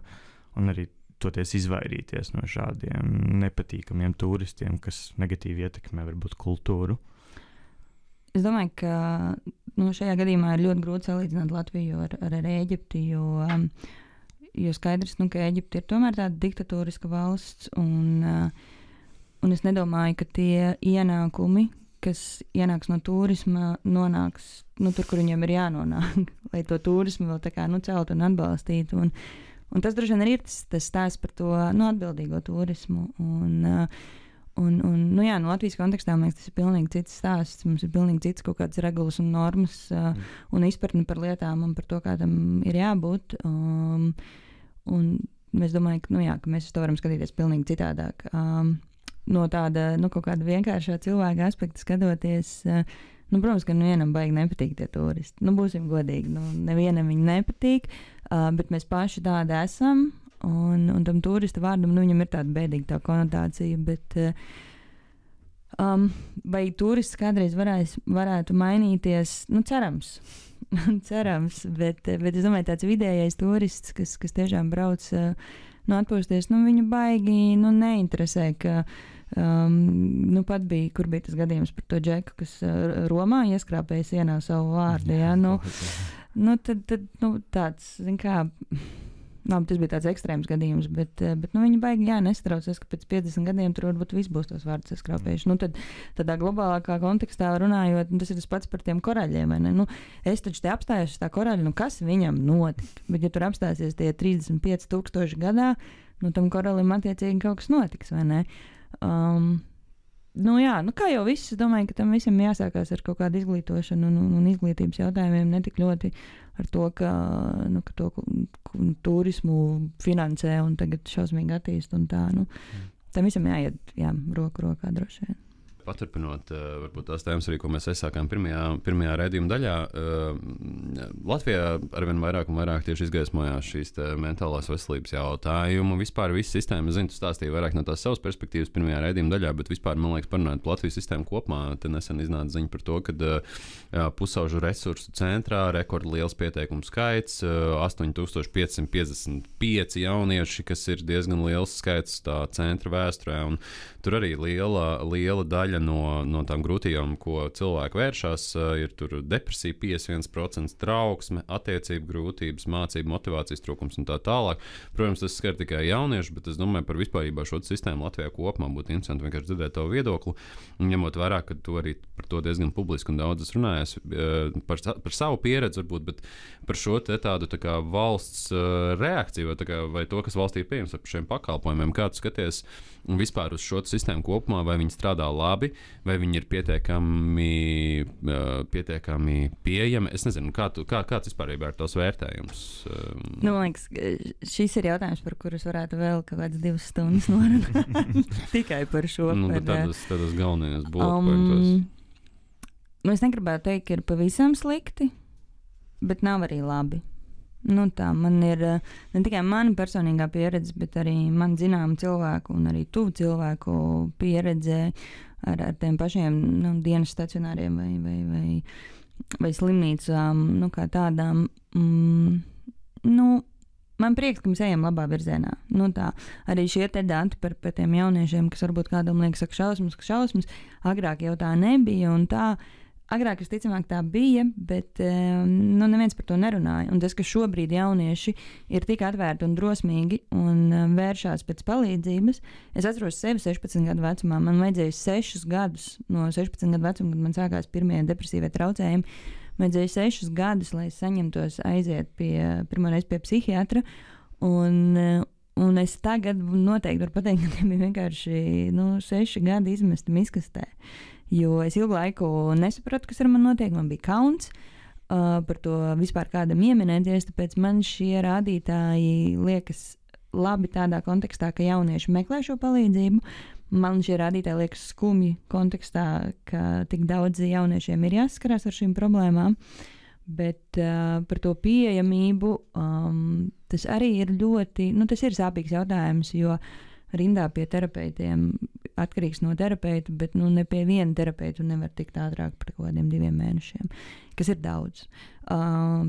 arī toties izvairīties no šādiem nepatīkamiem turistiem, kas negatīvi ietekmē varbūt kultūru? Es domāju, ka šajā gadījumā ir ļoti grūti salīdzināt Latviju ar Ēģipti, jo skaidrs, ka Ēģipte ir tomēr tāda diktatūriska valsts, un es nedomāju, ka tie ienākumi, kas ienāks no turisma, nonāks tur, kur viņiem ir jānonāk, lai to turismu vēl tā kā celt un atbalstītu. Un tas droši vien ir tas stāsts par to atbildīgo turismu. No Latvijas kontekstā, man liekas, tas ir pilnīgi cits stāsts. Mums ir pilnīgi cits kaut kādas regulas un normas un izpratni par lietām un par to, kā tam ir jābūt. Un es domāju, ka mēs uz to varam skatīties pilnīgi citādāk. No tāda, kaut kāda vienkāršā cilvēka aspekta skatoties, protams, ka vienam baigi nepatīk tie turisti. Būsim godīgi, nevienam viņi nepatīk, bet mēs paši tādi esam. Un tam turista vārdam, viņam ir tāda bēdīga tā konotācija, bet vai turists kādreiz varētu mainīties? Cerams. Cerams, bet es domāju, tāds vidējais turists, kas tiešām brauc atpūsties, viņu baigi neinteresē, ka pat bija, kur bija tas gadījums par to džeku, kas Romā ieskrāpēja sienā savu vārdu, jā, tad tāds, zin kā, tas bija tāds ekstrēms gadījums, bet viņi baigi nestraucās, ka pēc 50 gadiem tur varbūt viss būs tos vārdus skrāpējuši. Tad tādā globālākā kontekstā runājot, tas ir tas pats par tiem koraļiem, vai ne? Es taču te apstājos uz tā koraļa, kas viņam notika? Bet ja tur apstāsies tie 35,000 gadā, tam koralim attiecīgi kaut kas notiks, vai ne? Kā jau viss, es domāju, ka tam visam jāsākās ar kaut kādu izglītošanu un izglītības jautājumiem, ne tik ļoti ar to, ka to turismu finansē un tagad šausmīgi attīst un tā. Tam visam jāiet roku rokā droši vien. Paturpinot, varbūt tās tēmas arī, ko mēs aizsākām pirmajā raidījuma daļā, Latvijā arvien vairāk un vairāk tieši izgaismojās šīs mentālās veselības jautājumu. Vispār viss sistēma, tu stāstīji vairāk no tās savas perspektīvas pirmajā raidījuma daļā, bet vispār, man liekas, parunājot par Latvijas sistēmu kopumā, te nesen iznāca ziņa par to, ka pusaužu resursu centrā rekordliels pieteikumu skaits, 8555 jaunieši, kas ir diezgan liels skaits tā centra vēsturē, un tur arī liela daļa no tām grūtībām, ko cilvēki vēršas, ir depresija 51%, trauksme, attiecību grūtības, mācību motivācijas trūkums un tā tālāk. Protams, tas skar tikai jauniešus, bet es domāju par vispārībā šo sistēmu Latvijā kopumā būtu interesanti vienkārši dzirdēt tavu viedokli. Ņemot vērā, ka tu arī par to diezgan publiski un daudz runājies par savu pieredzi, varbūt, bet par šo tādu tā kā valsts reakciju vai to, kas valstī ir pieejams par šiem pakalpojumiem. Kā tu skaties vispār uz šo sistēmu kopumā, vai viņi strādā labi, vai viņi ir pietiekami pieejami? Es nezinu, kāds vispārībā ir tos vērtējums? Man liekas, šis ir jautājums, par kurus varētu vēl kaut kādas 2 stundas norunāt. Tikai par šo. Tādas galvenajās bulletpointos. Es negribētu teikt, ka ir pavisam slikti, bet nav arī labi. Tā man ir ne tikai mana personīgā pieredze, bet arī man zināma cilvēku un arī tuvu cilvēku pieredze ar tiem pašiem dienas stacionāriem vai slimnīcām, kā tādām. Man prieks, ka mēs ejam labā virzienā. Arī šie te dati par tiem jauniešiem, kas varbūt kādam liekas, ka šausmas, agrāk jau tā nebija un tā. Agrāk, visticamāk, tā bija, bet neviens par to nerunāja. Un tas, ka šobrīd jaunieši ir tik atvērti un drosmīgi un vēršās pēc palīdzības. Es atceros sevi 16 gadu vecumā. Man vajadzēja 6 gadus no 16 gadu vecuma, kad man sākās pirmie depresīvie traucējumi. Man vajadzēja 6 gadus, lai es saņemtos aiziet pirmoreiz pie psihiatra. Un es tagad noteikti varu pateikt, ka tie bija vienkārši 6 gadi izmesti miskastē. Jo es ilgu laiku nesapratu, kas ar mani notiek. Man bija kauns par to vispār kādam ieminēties, tāpēc man šie rādītāji liekas labi tādā kontekstā, ka jaunieši meklē šo palīdzību. Man šie rādītāji liekas skumji kontekstā, ka tik daudz jauniešiem ir jāsaskarās ar šīm problēmām. Bet par to pieejamību tas arī ir ļoti, tas ir sāpīgs jautājums, jo rindā pie terapeitiem atkarīgs no terapeita, bet ne pie viena terapeita nevar tikt ātrāk par kaut kādiem 2 mēnešiem, kas ir daudz.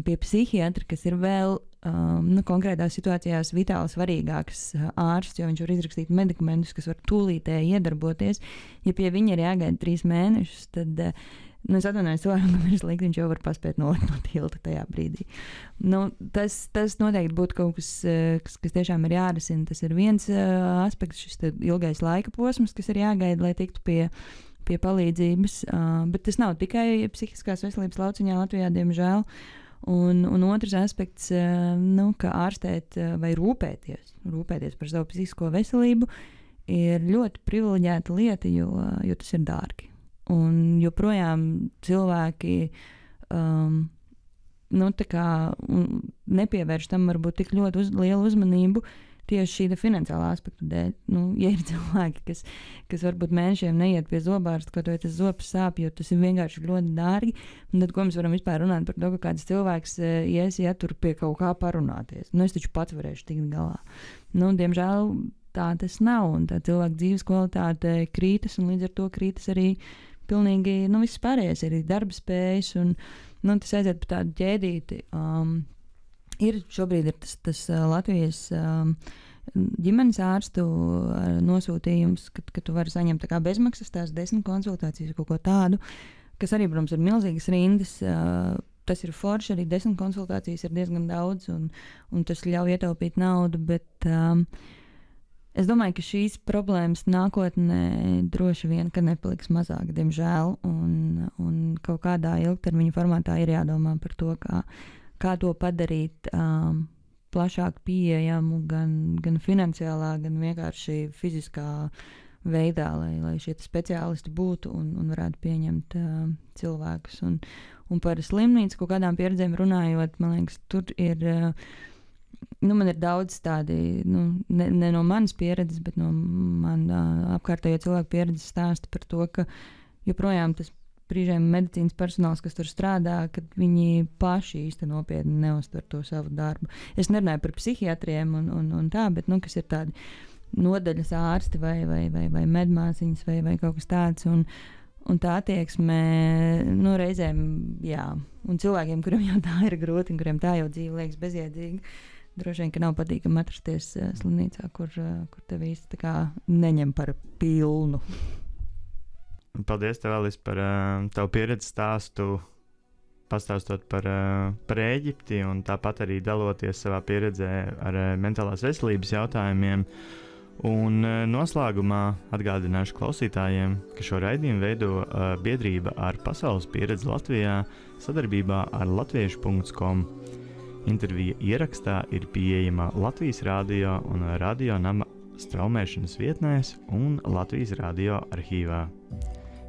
Pie psihiatra, kas ir vēl konkrētās situācijās vitāli svarīgāks ārsts, jo viņš var izrakstīt medikamentus, kas var tūlītēji iedarboties. Ja pie viņa ir jāgaida 3 mēnešus, tad es atvainojos cilvēkam, ka ir slikti, viņš jau var paspēt nolikt no tilta tajā brīdī. Tas noteikti būtu kaut kas tiešām ir jārisina. Tas ir viens aspekts, šis ilgais laika posms, kas ir jāgaida, lai tiktu pie palīdzības. Bet tas nav tikai psihiskās veselības lauciņā Latvijā, diemžēl. Un otrs aspekts, ka ārstēt vai rūpēties par savu psihisko veselību ir ļoti privileģēta lieta, jo tas ir dārgi. Un joprojām cilvēki nepievērš tam varbūt tik ļoti lielu uzmanību tieši šī finansiālā aspekta dēļ. Ja ir cilvēki, kas varbūt mēnešiem neiet pie zobārsta, kaut vai tas zobs sāp, jo tas ir vienkārši ļoti dārgi, tad ko mēs varam vispār runāt par to, ka kāds cilvēks ies tur pie kaut kā parunāties. Es taču pats varēšu tikt galā. Diemžēl tā tas nav, un tā cilvēka dzīves kvalitāte krītas, un līdz ar to krītas arī pilnīgi viss pārējais, arī darba spējas, un tas aiziet pa tādu ķēdīti. Šobrīd ir tas Latvijas ģimenes ārstu nosūtījums, ka tu vari saņemt tā kā bezmaksas tās 10 konsultācijas, kaut ko tādu, kas arī, protams, ir milzīgas rindas. Tas ir forši, arī 10 konsultācijas ir diezgan daudz, un tas ļauj ietaupīt naudu, bet es domāju, ka šīs problēmas nākotnē droši vien, ka nepaliks mazāk, diemžēl, un kaut kādā ilgtermiņa formātā ir jādomā par to, kā to padarīt plašāk pieejamu, gan finansiālā, gan vienkārši fiziskā veidā, lai šie speciālisti būtu un varētu pieņemt cilvēkus. Un par slimnīcu kaut kādām pieredzēm runājot, man liekas, tur ir... man ir daudz tādi, ne no manas pieredzes, bet no man apkārtējo cilvēku pieredzes stāsta par to, ka joprojām tas brīžiem medicīnas personāls, kas tur strādā, kad viņi paši īsti nopietni neuztver to savu darbu. Es nerunāju par psihiatriem un tā, bet, kas ir tādi nodaļas ārsti vai medmāsiņas vai kaut kas tāds, un tā attieksme, reizēm, jā, un cilvēkiem, kuriem jau tā ir grūti, un kuriem tā jau dzīve liekas bezjēdzīga, droši vien, ka nav patīkami atrasties slimnīcā, kur tev īsti tā kā neņem par pilnu. Paldies tev, Alis, par tavu pieredzi stāstu, pastāstot par Ēģipti un tāpat arī daloties savā pieredzē ar mentālās veselības jautājumiem. Un noslēgumā atgādināšu klausītājiem, ka šo raidījumu veido biedrība ar pasaules pieredzi Latvijā sadarbībā ar latviešu.com. Intervija ierakstā ir pieejama Latvijas radio un Radio Nama straumēšanas vietnēs un Latvijas radio arhīvā.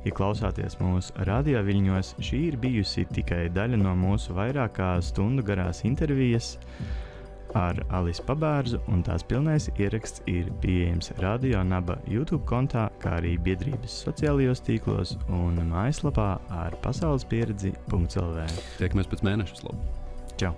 Ja klausāties mūsu radio viļņos, šī ir bijusi tikai daļa no mūsu vairāk kā stundu garās intervijas ar Alisu Pabērzu, un tās pilnais ieraksts ir pieejams Radio Naba YouTube kontā, kā arī biedrības sociālajos tīklos un mājaslapā ar pasaulespieredzi.lv. Tiekamies pēc mēneša, Slavu! Čau!